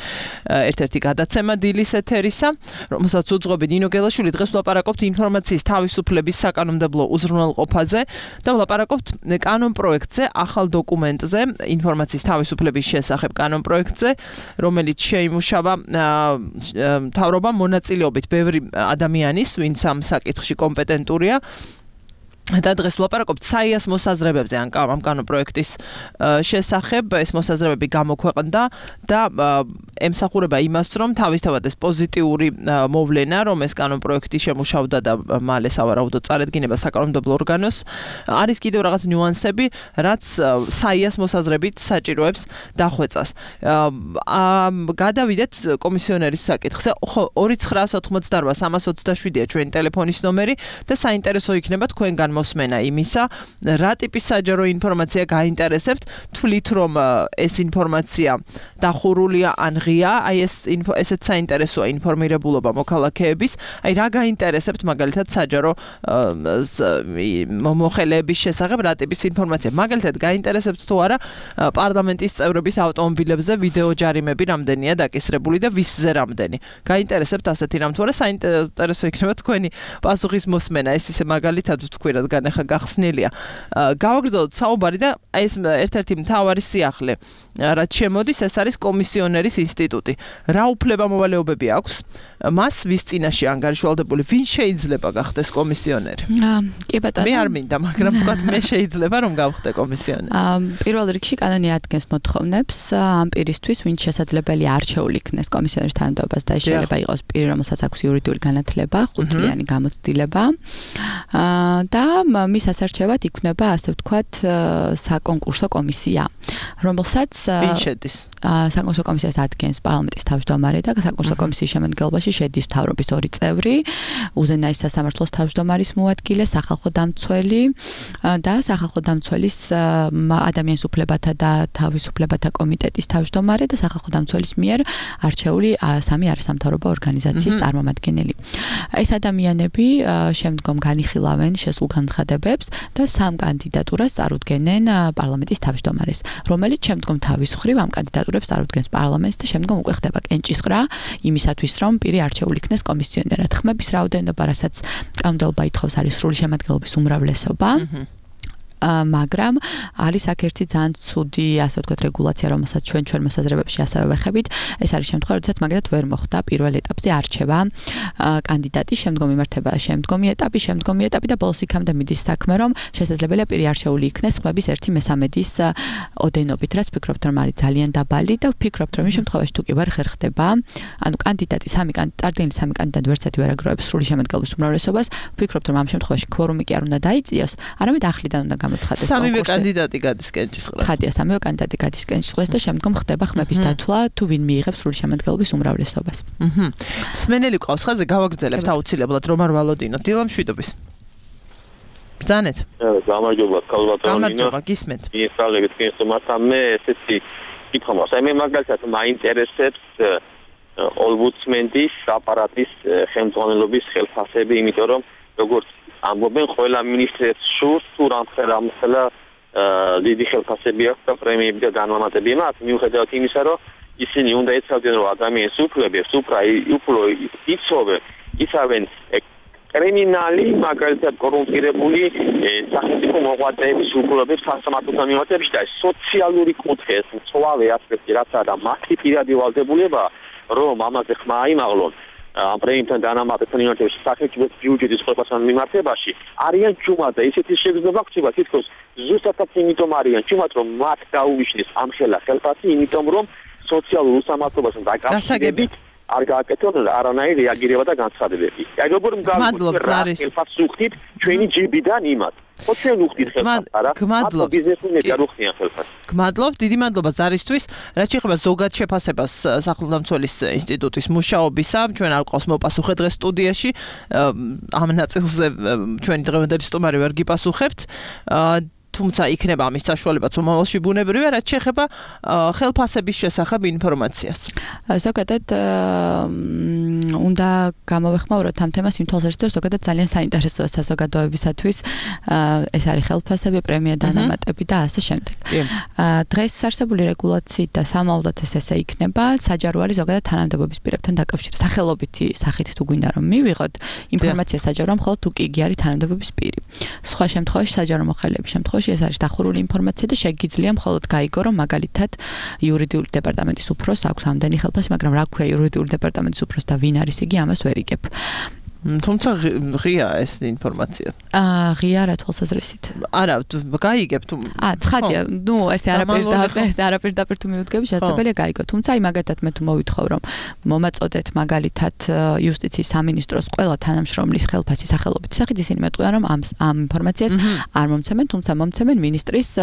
ერთ-ერთი გადაცემა დილის ეთერისა, რომელსაც უძღვები ნინო გელაშვილი. დღეს ვლაპარაკობთ ინფორმაციის თავისუფლების საკანონმდებლო უზრუნველყოფაზე და ვლაპარაკობთ კანონ პროექტზე, ახალ დოკუმენტზე, ინფორმაციის თავისუფლების შესახებ კანონ პროექტზე, რომელიც შეიმუშავა მთავრობამ მონაწილეობით ბევრი ადამიანის, ვინც ამ საკითხში კომპეტენტურია. და დღეს ვლაპარაკობთ საიას მოსაზრებებზე ამ კანონ პროექტის შესახებ. ეს მოსაზრებები გამოქვეყნდა და ემსახურება იმას, რომ თავისთავად ეს პოზიტიური მოვლენა, რომ ეს კანონ პროექტი შემუშავდა და მალე სავარაუდოდ წარედგინება საკანონმდებლო ორგანოს, არის კიდევ რაღაც ნიუანსები, რაც საიას მოსაზრებით საჭიროებს დახვეწას. გადავიდეთ კომისიონერის საკითხზე. 2988-327-ია ჩვენი ტელეფონის ნომერი და საინტერესო იქნება თქვენგან მოსმენა იმისა, რა ტიპის საჯარო ინფორმაცია გაინტერესებთ, თვლით რომ ეს ინფორმაცია დახურულია ან ღია, აი ესეც საინტერესოა ინფორმირებულობა მოქალაქეების, აი რა გაინტერესებთ მაგალითად საჯარო მოხელეების შესახებ, რა ტიპის ინფორმაცია. მაგალითად გაინტერესებთ თუ არა პარლამენტის წევრების ავტომობილებზე ვიდეო ჯარიმები რამდენია დაკისრებული და ვისზე რამდენი. გაინტერესებთ ასეთი რამ თუ არა, საინტერესო იქნება თქვენი პასუხის მოსმენა. ეს ისე მაგალითად ვთქვი, რადგან ახლა გახსნილია. გავაგრძელოთ საუბარი და ეს ერთ-ერთი მთავარი სიახლე, რაც შემოდის, ეს არის კომისიონერის ინსტიტუტი. რა უფლება-მოვალეობები აქვს მას, ვის წინაშე ანგარიშვალდებული, ვინ შეიძლება გახდეს კომისიონერი? კი ბატონო. მე არ მინდა, მაგრამ ვთქვათ, მე შეიძლება რომ გავხდე კომისიონერი. პირველ რიგში კანონი ადგენს მოთხოვნებს ამ პირისთვის, ვინც შესაძლებელია არჩეული იქნეს კომისიონერის თანამდებობას და შეიძლება იყოს პირი, რომელსაც აქვს იურიდიული განათლება, 5 წლიანი გამოცდილება. და მის ასარჩევად იქნება, ასე ვთქვათ, საკონკურსო კომისია, რომელსაც ვინ შედის? საკონკურსო კომისიას ადგენს პარლამენტის თავმჯდომარე და საკონკურსო კომისიის შემადგენლობაში შედის მთავრობის 2 წევრი, უზენაეს სასამართლოს თავმჯდომარის მოადგილე, სახალხო დამცველი და სახალხო დამცველის ადამიანის უფლებათა და თავისუფლებათა კომიტეტის თავმჯდომარე და სახალხო დამცველის მიერ არჩეული 3 არასამთავრობო ორგანიზაციის წარმომადგენელი. ეს ადამიანები შემდგომ განიხილავენ შესულ განცხადებებს და 3 კანდიდატურას წარუდგენენ პარლამენტის თავმჯდომარეს, რომელიც შემდგომ თავის მხრივ ამ კანდიდატურებს წარუდგენს პარლამენტს და შემდგომ უკვე ხდება კენჭისყრა იმისათვის, რომ პირი არჩეული იქნეს კომისიონერად. ხმების რაოდენობა, რასაც კანონმდებლობა ითხოვს, არის სრული შემადგენლობის უმრავლესობა. მაგრამ არის აქ ერთი ძალიან ცუდი, ასე ვთქვათ, რეგულაცია, რომელსაც ჩვენ მოსაზრებებში ასევე ვეხებით. ეს არის შემთხვევა, როდესაც მაგალითად ვერ მოხდა პირველ ეტაპზე არჩევა კანდიდატი, შემდგომი იმართება შემდგომი ეტაპი და ბოლოს იქამდე მიდის საქმე, რომ შესაძლებელია პირი არჩეული იქნეს ხმების 1/3-ის ოდენობით, რაც ფიქრობთ, რომ არის ძალიან დაბალი და ვფიქრობთ, რომ იმ შემთხვევაში თუ კი ვერ ხერხდება, ანუ კანდიდატი წარდგენილი სამი კანდიდატი ვერცერთი ვერ აგროვებს სრული შემადგენლობის უმრავლესობას, ვფიქრობთ, რომ ამ შემთხვევაში kvორუმი კი არ უნდა დაიწიოს, არამედ ახლიდან უნდა გამოცხადდეს კონკურსი. სამივე კანდიდატი გადის კენჭისყრას. ცხადია, სამივე კანდიდატი გადის კენჭისყრას და შემდგომ ხდება ხმების დათვლა, თუ ვინ მიიღებს სრული შემადგენლობის უმრავლესობას. მსმენელი ყავს ხაზე, გავაგრძელებთ აუცილებლად რომ არ ვალოდინოთ. დილა მშვიდობის. ბრძანეთ. გამარჯობა, ქალბატონო. გამარჯობა, გისმენთ. მისაღებით კენსომასთან მე ესეთი კითხვა მაქვს. მე მაგალითად მაინტერესებს ოლბუდსმენის აპარატის ხელმძღვანელობის ხელფასები, იმიტომ რომ როგორც ამბობენ, ყველა მინისტრს შურს თუ რამხელა დიდი ხელფასები აქვს და პრემიები და განმარტები მაქვს, მიუხედავად იმისა, რომ ისინი უნდა ეცავდნენ, რომ ადამიანის უფლებებს უფრო იცოვენ, იცავენ კრიმინალი, მაგალითად კორუმპირებული სახელმწიფო მოღვაწეების უფლებებს სასამართლოსთან მიმართებაში და სოციალური კუთხე, მწვავე ასპექტი, რაც არა მათი პირადი ვალდებულება, რომ ამაზე ხმა აიმაღლონ ამ პრემიებთან დანამატებთან მიმართებაში სახელმწიფო ბიუჯეტის ყოფასთან მიმართებაში არიან ჯუმად და ისეთი შეგრძნება ხდება თითქოს ზუსტად იმიტომ არიან ჯუმად, რომ მათ გაუვიშნეს ამ ხელფასი, იმიტომ რომ სოციალურ უსამართლობასთან დაკავშირებით არ გააკეთონ არანაირი რეაგირება და განცხადებები. აი როგორ მგავსებთ ხელფასს უხდით ჩვენი ჯიბიდან იმათ. ხო ჩვენ უხდით ხელფასს, არა? გმადლობთ. ბიზნესმენები არ უხდიან ხელფასს. გმადლობთ, დიდი მადლობა ზარისთვის. რაც შეეხება ზოგად შეფასებას სახელმწიფოს ინსტიტუტის მუშაობისა, ჩვენ არ გვყავს მოპასუხე დღეს სტუდიაში. ამ ნაწილზე ჩვენი დღევანდელი სტუმარი ვერ გიპასუხებთ. თუმცა იქნება ამის საშუალებაც მომავალში ბუნებრივია, რაც შეეხება ხელფასების შესახებ ინფორმაციას. ზოგადად უნდა გამოვეხმაუროთ ამ თემას იმ თვალსაზრისით, რომ ზოგადად ძალიან საინტერესოა საზოგადოებისათვის ეს არის ხელფასები, პრემია დანამატები და ასე შემდეგ. დღეს არსებული რეგულაციით და სამალულად ესე იქნება, საჯარო არის ზოგადად თანამდებობის პირებთან დაკავშირებით. სახელობითი სახით თუ გვინდა რომ მივიღოთ ინფორმაცია საჯაროა, მხოლოდ თუ კი იგი არის თანამდებობის პირი. სხვა შემთხვევაში საჯარო მოხელეების შემთხვევაში ეს არის დახურული ინფორმაცია და შეგიძლია მხოლოდ გაიგო, რომ მაგალითად იურიდიული დეპარტამენტის უფროს აქვს ამდენი ხელფასი, მაგრამ რა ქვია იურიდიული დეპარტამენტის უფროს და ვინ არის იგი, ამას ვერ იგებ. თუმცა ღია ეს ინფორმაცია. ღია რა თვალსაზრისით? არა, გაიგებ თუ. ცხადია, ესე არაპირდაპირ თუ მივუდგები, შესაძლებელია გაიგო. თუმცა აი მაგათად მე თუ მოვითხოვ, რომ მომაწოდეთ მაგალითად იუსტიციის სამინისტროს ყველა თანამშრომლის ხელფასი სახელობითი სახით, ისინი მეტყვიან, რომ ამ ინფორმაციას არ მომცემენ, თუმცა მომცემენ მინისტრის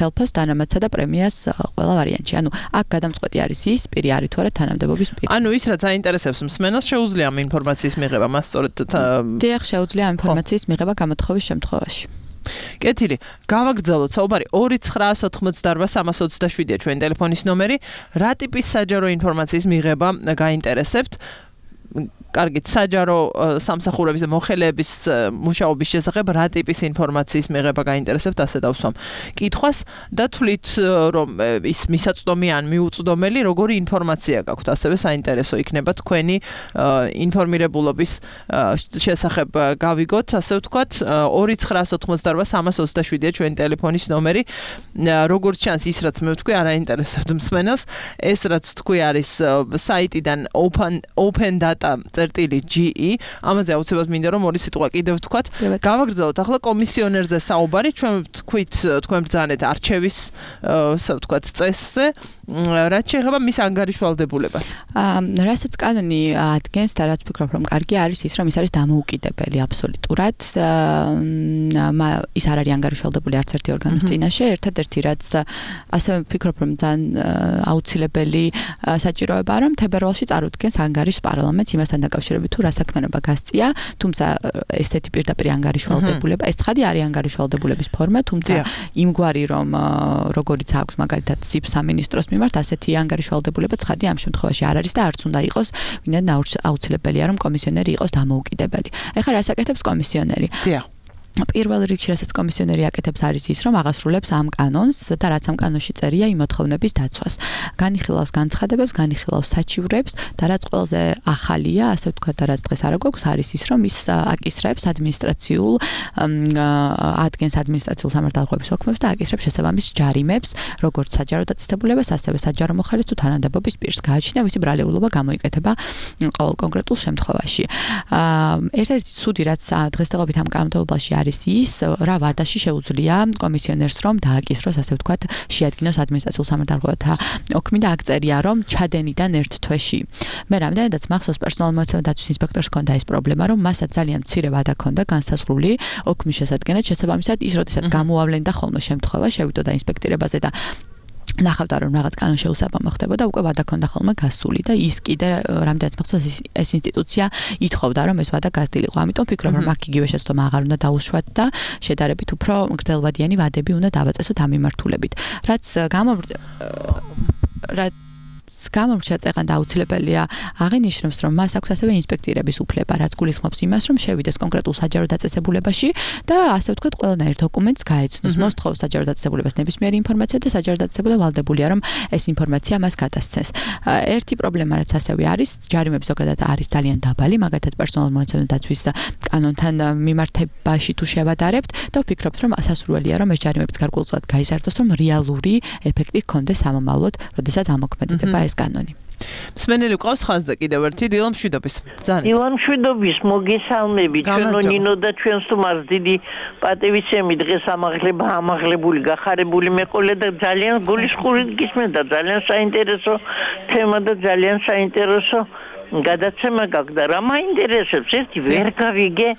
ხელფას დანამატსა და პრემიას ყველა ვარიანტში. ანუ აქ გადამწყვეტი არის ის პირი არის თუ არა თანამდებობის პირი. ანუ ის რაც აინტერესებს მსმენელს, შეუძლია ამ ინფორმაციის მიღება მას დიახ, შეუძლია ინფორმაციის მიღება გამოთხოვის შემთხვევაში. კეთილი, გავაგრძელოთ საუბარი 2988327-ია ჩვენი ტელეფონის ნომერი. რა ტიპის საჯარო ინფორმაციის მიღება გაინტერესებთ? კარგით, საჯარო სამსახურების და მოხელეების მუშაობის შესახებ რა ტიპის ინფორმაციის მიღება გაინტერესებთ, ასე დავსვამ კითხვას და თვლით რომ ის მისაწვდომი ან მიუწვდომელი როგორი ინფორმაცია გაქვთ, ასევე საინტერესო იქნება თქვენი ინფორმირებულობის შესახებ გავიგოთ, ასე ვთქვათ 2988327-ია ჩვენი ტელეფონის ნომერი. როგორც ჩანს ის რაც მე ვთქვი არ აინტერესებთ მსმენელს, ეს რაც თქვი არის საიტიდან open.data.ge ამაზე აუცილებლად მინდა რომ ორი სიტყვა კიდევ ვთქვათ. გავაგრძელოთ ახლა კომისიონერზე საუბარი, ჩვენ ვთქვით თქვენ ბრძანეთ არჩევის ასე ვთქვათ წესზე, რაც შეეხება მის ანგარიშვალდებულებას. რასაც კანონი ადგენს და რაც ვფიქრობ რომ კარგი არის ის რომ ის არის დამოუკიდებელი აბსოლუტურად. ის არ არის ანგარიშვალდებული არც ერთი ორგანოს წინაშე, ერთადერთი რაც ასე ვფიქრობ რომ ძალიან აუცილებელი საჭიროებაა რომ თებერვალში წარუდგენს ანგარიშს პარლამენტს იმასთან დაკავშირებით თუ რა საქმიანობა გასწია, თუმცა ესეთი პირდაპირ ანგარიშვალდებულება, ეს ცხადი არის ანგარიშვალდებულების ფორმა, თუმცა იმგვარი რომ როგორიც აქვს მაგალითად სიბ სამინისტროს მიმართ ასეთი ანგარიშვალდებულება ცხადი ამ შემთხვევაში არ არის და არც უნდა იყოს, ვინმე აუცილებელია რომ კომისიონერი იყოს დამოუკიდებელი. ეხლა რას აკეთებს კომისიონერი? პირველ რიგში რასაც კომისიონერი აკეთებს არის ის, რომ აღასრულებს ამ კანონს და რაც ამ კანონში წერია იმ მოთხოვნების დაცვას. განიხილავს განცხადებებს, განიხილავს საჩივრებს და რაც ყველაზე ახალია, ასე ვთქვათ, და რაც დღეს არ გვაქვს, არის ის, რომ ის აკისრებს ადმინისტრაციულ ადგენს ადმინისტრაციულ სამართალდამცავების ოქმებს და აკისრებს შესაბამის ჯარიმებს, როგორც საჯარო დაწესებულებას, ასევე საჯარო მოხალისე თუ თანამდებობის პირს. გააჩნია ვისი ბრალეულობა გამოიკეთება ყოველ კონკრეტულ შემთხვევაში. ერთ-ერთი ცუდი რაც დღესდღეობით ამ კანონმდებლობაში არის ის, რა ვადაში შეუძლია კომისიონერს რომ დააკისროს, ასე ვთქვათ, შეადგინოს ადმინისტრაციულ სამართალდამცავთა ოქმი და აქ წერია, რომ ჩადენიდან ერთ თვეში. მე რამდენადაც მახსოვს პერსონალურ მოწმე დაცვის ინსპექტორს ჰქონდა ეს პრობლემა, რომ მასაც ძალიან მცირე ვადა ჰქონდა განსაზღვრული ოქმის შესადგენად, შესაბამისად ის როდესაც გამოავლენდა ხოლმე შემთხვევა, შევიდოდა ინსპექტირებაზე და ნახავდა რომ რაღაც კანონშეუსაბამო ხდებოდა, უკვე ვადა ჰქონდა ხოლმე გასული და ის კიდე რამდენიც მახსოვს ეს ინსტიტუცია ითხოვდა რომ ეს ვადა გასდილიყო. ამიტომ ვფიქრობ რომ აქ იგივე შეცდომა აღარ უნდა დაუშვათ და შედარებით უფრო გრძელვადიანი ვადები უნდა დავაწესოთ ამ მიმართულებით. რაც გამომრჩა წეღან აუცილებელია აღინიშნოს რომ მას აქვს ასევე ინსპექტირების უფლება, რაც გულისხმობს იმას, რომ შევიდეს კონკრეტულ საჯარო დაწესებულებაში და ასე ვთქვათ, ყველანაირ დოკუმენტს გაეცნოს, მოსთხოვს საჯარო დაწესებულებას ნებისმიერი ინფორმაცია და საჯარო დაწესებულება ვალდებულია რომ ეს ინფორმაცია მას გადასცეს. ერთი პრობლემა რაც ასევე არის, ჯარიმები ზოგადად არის ძალიან დაბალი, მაგათაც პერსონალურ მონაცემთა დაცვის კანონთან მიმართებაში თუ შევადარებთ და ვფიქრობთ რომ სასურველია რომ ეს ჯარიმებიც გარკვეულწილად გაიზარდოს, რომ რეალური ეფექტი ჰქონდეს ამომავლოდ, როდესაც ამოქმედდება ეს კანონი. მსმენელი ყავს ხაზზე კიდევ ერთი დილა მშვიდობის. დილა მშვიდობის, მოგესალმები, ჩვენო ნინო და ჩვენს თუმარს დიდი პატივისცემი დღეს ამაღლებული გახარებული მეყოლე და ძალიან გულისხმობით გისმენდა, ძალიან საინტერესო თემა და ძალიან საინტერესო გადაცემა გაქვს და რა მაინტერესებს, ერთი ვერ გავიგე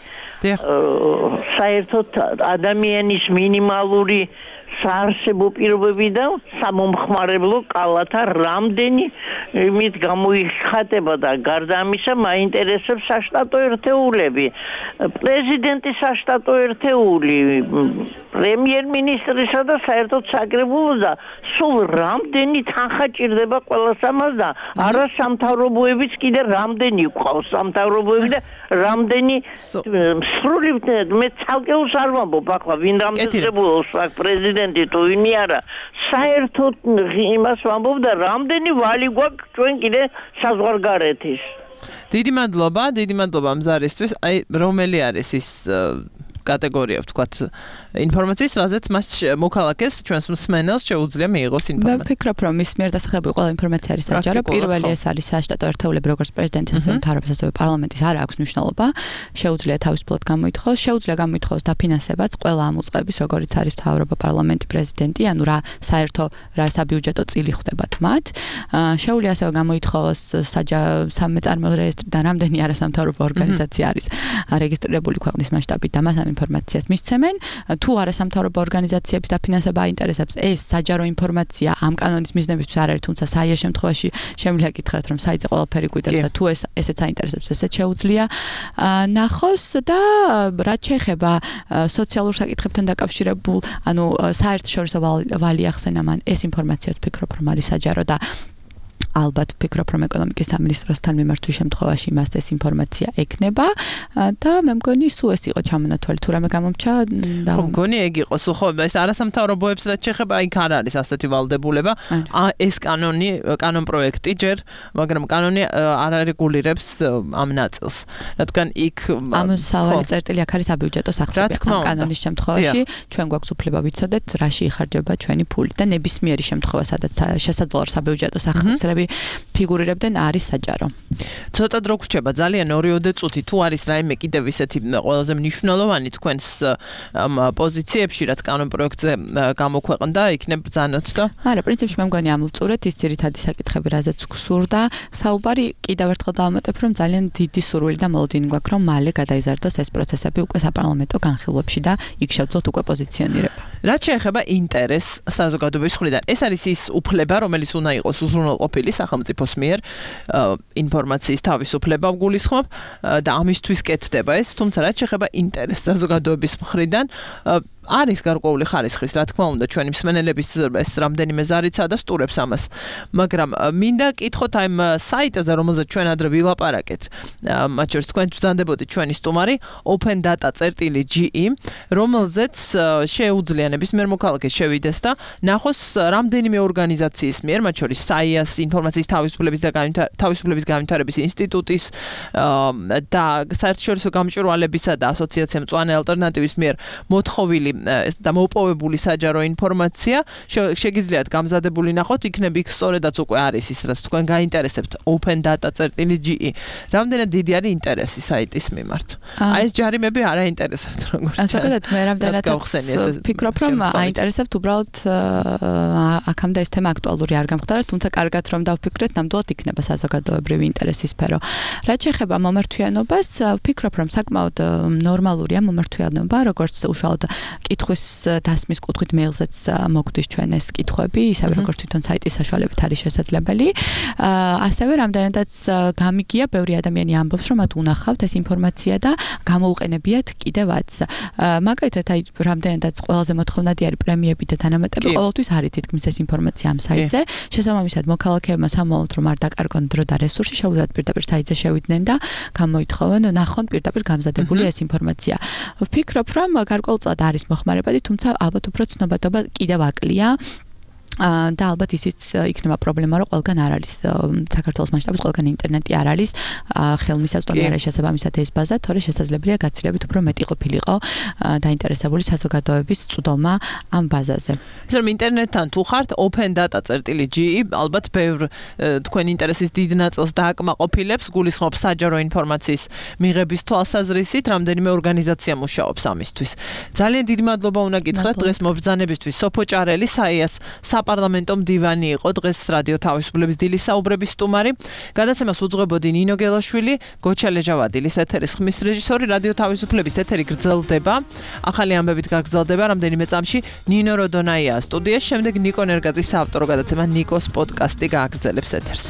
საერთოდ ადამიანის მინიმალური საარსებო პირობები და სამომხმარებლო კალათა რამდენი იმით გამოიხატება და გარდა ამისა მაინტერესებს საშტატო ერთეულები, პრეზიდენტის საშტატო ერთეული, პრემიერ-მინისტრისა და საერთოდ საკრებულოს და სულ რამდენი თანხა ჭირდება ყველას ამას და არა სამთავრობოებიც კიდე რამდენი ყავს სამთავრობოები და რამდენი სრული მე ცალკეულს არ ვამბობ ახლა ვინ რამდენებულოს აქ პრეზიდენტი თუ ვინი არა საერთოდ იმას ვამბობ და რამდენი ვალი გვაქვს ჩვენ კიდე საზღვარგარეთის. დიდი მადლობა მზარისთვის. აი რომელი არის ის კატეგორია ვთქვათ ინფორმაციის, რაზეც მას მოქალაქეს ჩვენს მსმენელს შეუძლია მიიღოს ინფორმაცია. ვფიქრობ რომ ის მიერ დასახელებული ყველა ინფორმაცია არის საჯარო. პირველი ეს არის საშტატო ერთეულები, როგორც პრეზიდენტის ასევე მთავრობის ასევე პარლამენტის არ აქვს მნიშვნელობა. შეუძლია თავისუფლად გამოითხოვოს, შეუძლია გამოითხოვოს დაფინანსებაც ყველა ამ უწყების, როგორც არის მთავრობა, პარლამენტი, პრეზიდენტი, ანუ რა საერთო რა საბიუჯეტო წილი ხდებათ მათ. შეუძლია ასევე გამოითხოვოს სამეწარმეო რეესტრიდან რამდენი არასამთავრობო ორგანიზაცია არის რეგისტრირებული ქვეყნის მასშტაბით და მას ამ ინფორმაციას მისცემენ. თუ არასამთავრობო ორგანიზაციების დაფინანსება აინტერესებს, ეს საჯარო ინფორმაცია ამ კანონის მიზნებისთვის არ არის, თუმცა საია შემთხვევაში შემიძლია გითხრათ, რომ საიტზე ყველაფერი გვიტევს და თუ ესეც აინტერესებს, ესეც შეუძლია ნახოს და რაც შეეხება სოციალურ საკითხებთან დაკავშირებულ, ანუ საერთაშორისო ვალი ახსენა მან, ეს ინფორმაციაც ვფიქრობ, რომ არის საჯარო და ალბათ ვფიქრობ, რომ ეკონომიკის სამინისტროსთან მიმართვის შემთხვევაში მას ეს ინფორმაცია ექნება და მე მგონი სულ ეს იყო ჩამონათვალი, თუ რამე გამომჩა და მგონი ეგ იყო სულ ხო ეს არასამთავრობოებს რაც შეეხება იქ არ არის ასეთი ვალდებულება. ეს კანონ პროექტი ჯერ, მაგრამ კანონი არ არეგულირებს ამ ნაწილს. რადგან იქ ამ სავალი წერტილი აქ არის საბიუჯეტო სახსრები ამ კანონის შემთხვევაში ჩვენ გვაქვს უფლება ვიცოდეთ რაში იხარჯება ჩვენი ფული და ნებისმიერი შემთხვევა სადაც შესაძლოა საბიუჯეტო სახსრები ფიგურირებდნენ არის საჯარო. ცოტა დრო გრჩება ძალიან 2-3 წუთი თუ არის რაიმე კიდევ ისეთი ყველაზე მნიშვნელოვანი თქვენს პოზიციებში რაც კანონ პროექტზე გამოქვეყნდა იქნებ ბრძანოთ და არა პრინციპში მე მგონი ამოვწურეთ ის ძირითადი საკითხები რაზეც გსურდა საუბარი კიდევ ერთხელ დავამატებ რომ ძალიან დიდი სურვილი და მოლოდინი გვაქვს რომ მალე გადაიზარდოს ეს პროცესები უკვე საპარლამენტო განხილვებში და იქ შევძლოთ უკვე პოზიციონირება. რაც შეეხება ინტერესს საზოგადოების მხრიდან ეს არის ის უფლება რომელიც უნდა იყოს უზრუნველყოფილი სახელმწიფოს მიერ ინფორმაციის თავისუფლება გულისხმობ და ამისთვის კეთდება ეს, თუმცა რაც შეეხება ინტერესს საზოგადოების მხრიდან არის გარკვეული ხარისხის, რა თქმა უნდა, ჩვენი მსმენელების ეს რამდენიმე ზარიცა და სტურებს ამას. მაგრამ მინდა კითხოთ აი საიტაზე, რომელზეც ჩვენ ადრე ვილაპარაკეთ, მათ შორის თქვენ ბრძანდებოდით ჩვენი სტუმარი opendata.ge, რომელზეც შეუძლია ნებისმიერ მოქალაქეს შევიდეს და ნახოს რამდენიმე ორგანიზაციის მიერ, მათ შორის SAIA-ს, ინფორმაციის თავისუფლების განვითარების ინსტიტუტის და საერთაშორისო გამჭვირვალებისა და ასოციაცია მწვანე ალტერნატივის მიერ მოთხოვილი და მოპოვებული საჯარო ინფორმაცია შეგიძლიათ გამზადებული ნახოთ, იქნებ იქ სწორედაც უკვე არის ის, რაც თქვენ გაინტერესებთ opendata.ge. რამდენად დიდი არის ინტერესი საიტის მიმართ. აი ეს ჯარიმები არ აინტერესებთ როგორც ჩანს. ზოგადად მე რამდენად ფიქრობ, რომ აინტერესებთ უბრალოდ აქამდე ეს თემა აქტუალური არ გამხდარა, თუმცა კარგად რომ დავფიქრეთ, ნამდვილად იქნება საზოგადოებრივი ინტერესის სფერო. რაც შეეხება მომართვიანობას, ვფიქრობ, რომ საკმაოდ ნორმალურია მომართვიანობა, როგორც უშუალოდ კითხვის დასმის კუთხით მეილზეც მოგვდის ჩვენ ეს კითხვები, ისევე როგორც თვითონ საიტის საშუალებით არის შესაძლებელი. ასევე რამდენადაც გამიგია, ბევრი ადამიანი ამბობს, რომ მათ უნახავთ ეს ინფორმაცია და გამოუყენებიათ კიდევაც. მაგალითად, აი რამდენადაც ყველაზე მოთხოვნადი არის პრემიები და თანამატები, ყოველთვის არის თითქმის ეს ინფორმაცია ამ საიტზე. შესაბამისად, მოქალაქეებმა სამომავლოდ რომ არ დაკარგონ დრო და რესურსი, შეუძლიათ პირდაპირ საიტზე შევიდნენ და გამოითხოვონ, ნახონ პირდაპირ გამზადებული ეს ინფორმაცია. ვფიქრობ, რომ გარკვეულწილად არის მოხმარებადი, თუმცა ალბათ უფრო ცნობადობა კიდევ აკლია. და ალბათ ისიც იქნება პრობლემა, რომ ყველგან არ არის საქართველოს მასშტაბით, ყველგან ინტერნეტი არ არის, ხელმისაწვდომი არ არის შესაბამისად ეს ბაზა, თორე შესაძლებელია გაცილებით უფრო მეტი ყოფილიყო დაინტერესებული საზოგადოების წვდომა ამ ბაზაზე. ისე რომ ინტერნეტთან თუ ხართ opendata.ge, ალბათ ბევრ თქვენ ინტერესის დიდ ნაწილს დააკმაყოფილებს, გულისხმობს საჯარო ინფორმაციის მიღების თვალსაზრისით, რამდენიმე ორგანიზაცია მუშაობს ამისთვის. ძალიან დიდი მადლობა უნდა გითხრათ დღეს მობრძანებისთვის. სოფო ჭარელი, SAIA-ს საპარლამენტო მდივანი იყო დღეს რადიო თავისუფლების დილის საუბრების სტუმარი. გადაცემას უძღვებოდი ნინო გელაშვილი, გოჩა ლეჟავადილის ეთერის ხმის რეჟისორი. რადიო თავისუფლების ეთერი გრძელდება. ახალი ამბებით გაგრძელდება რამდენიმე წამში. ნინო როდონაია სტუდიაში, შემდეგ ნიკო ნერგაძის საავტორო გადაცემა ნიკოს პოდკასტი გააგრძელებს ეთერს.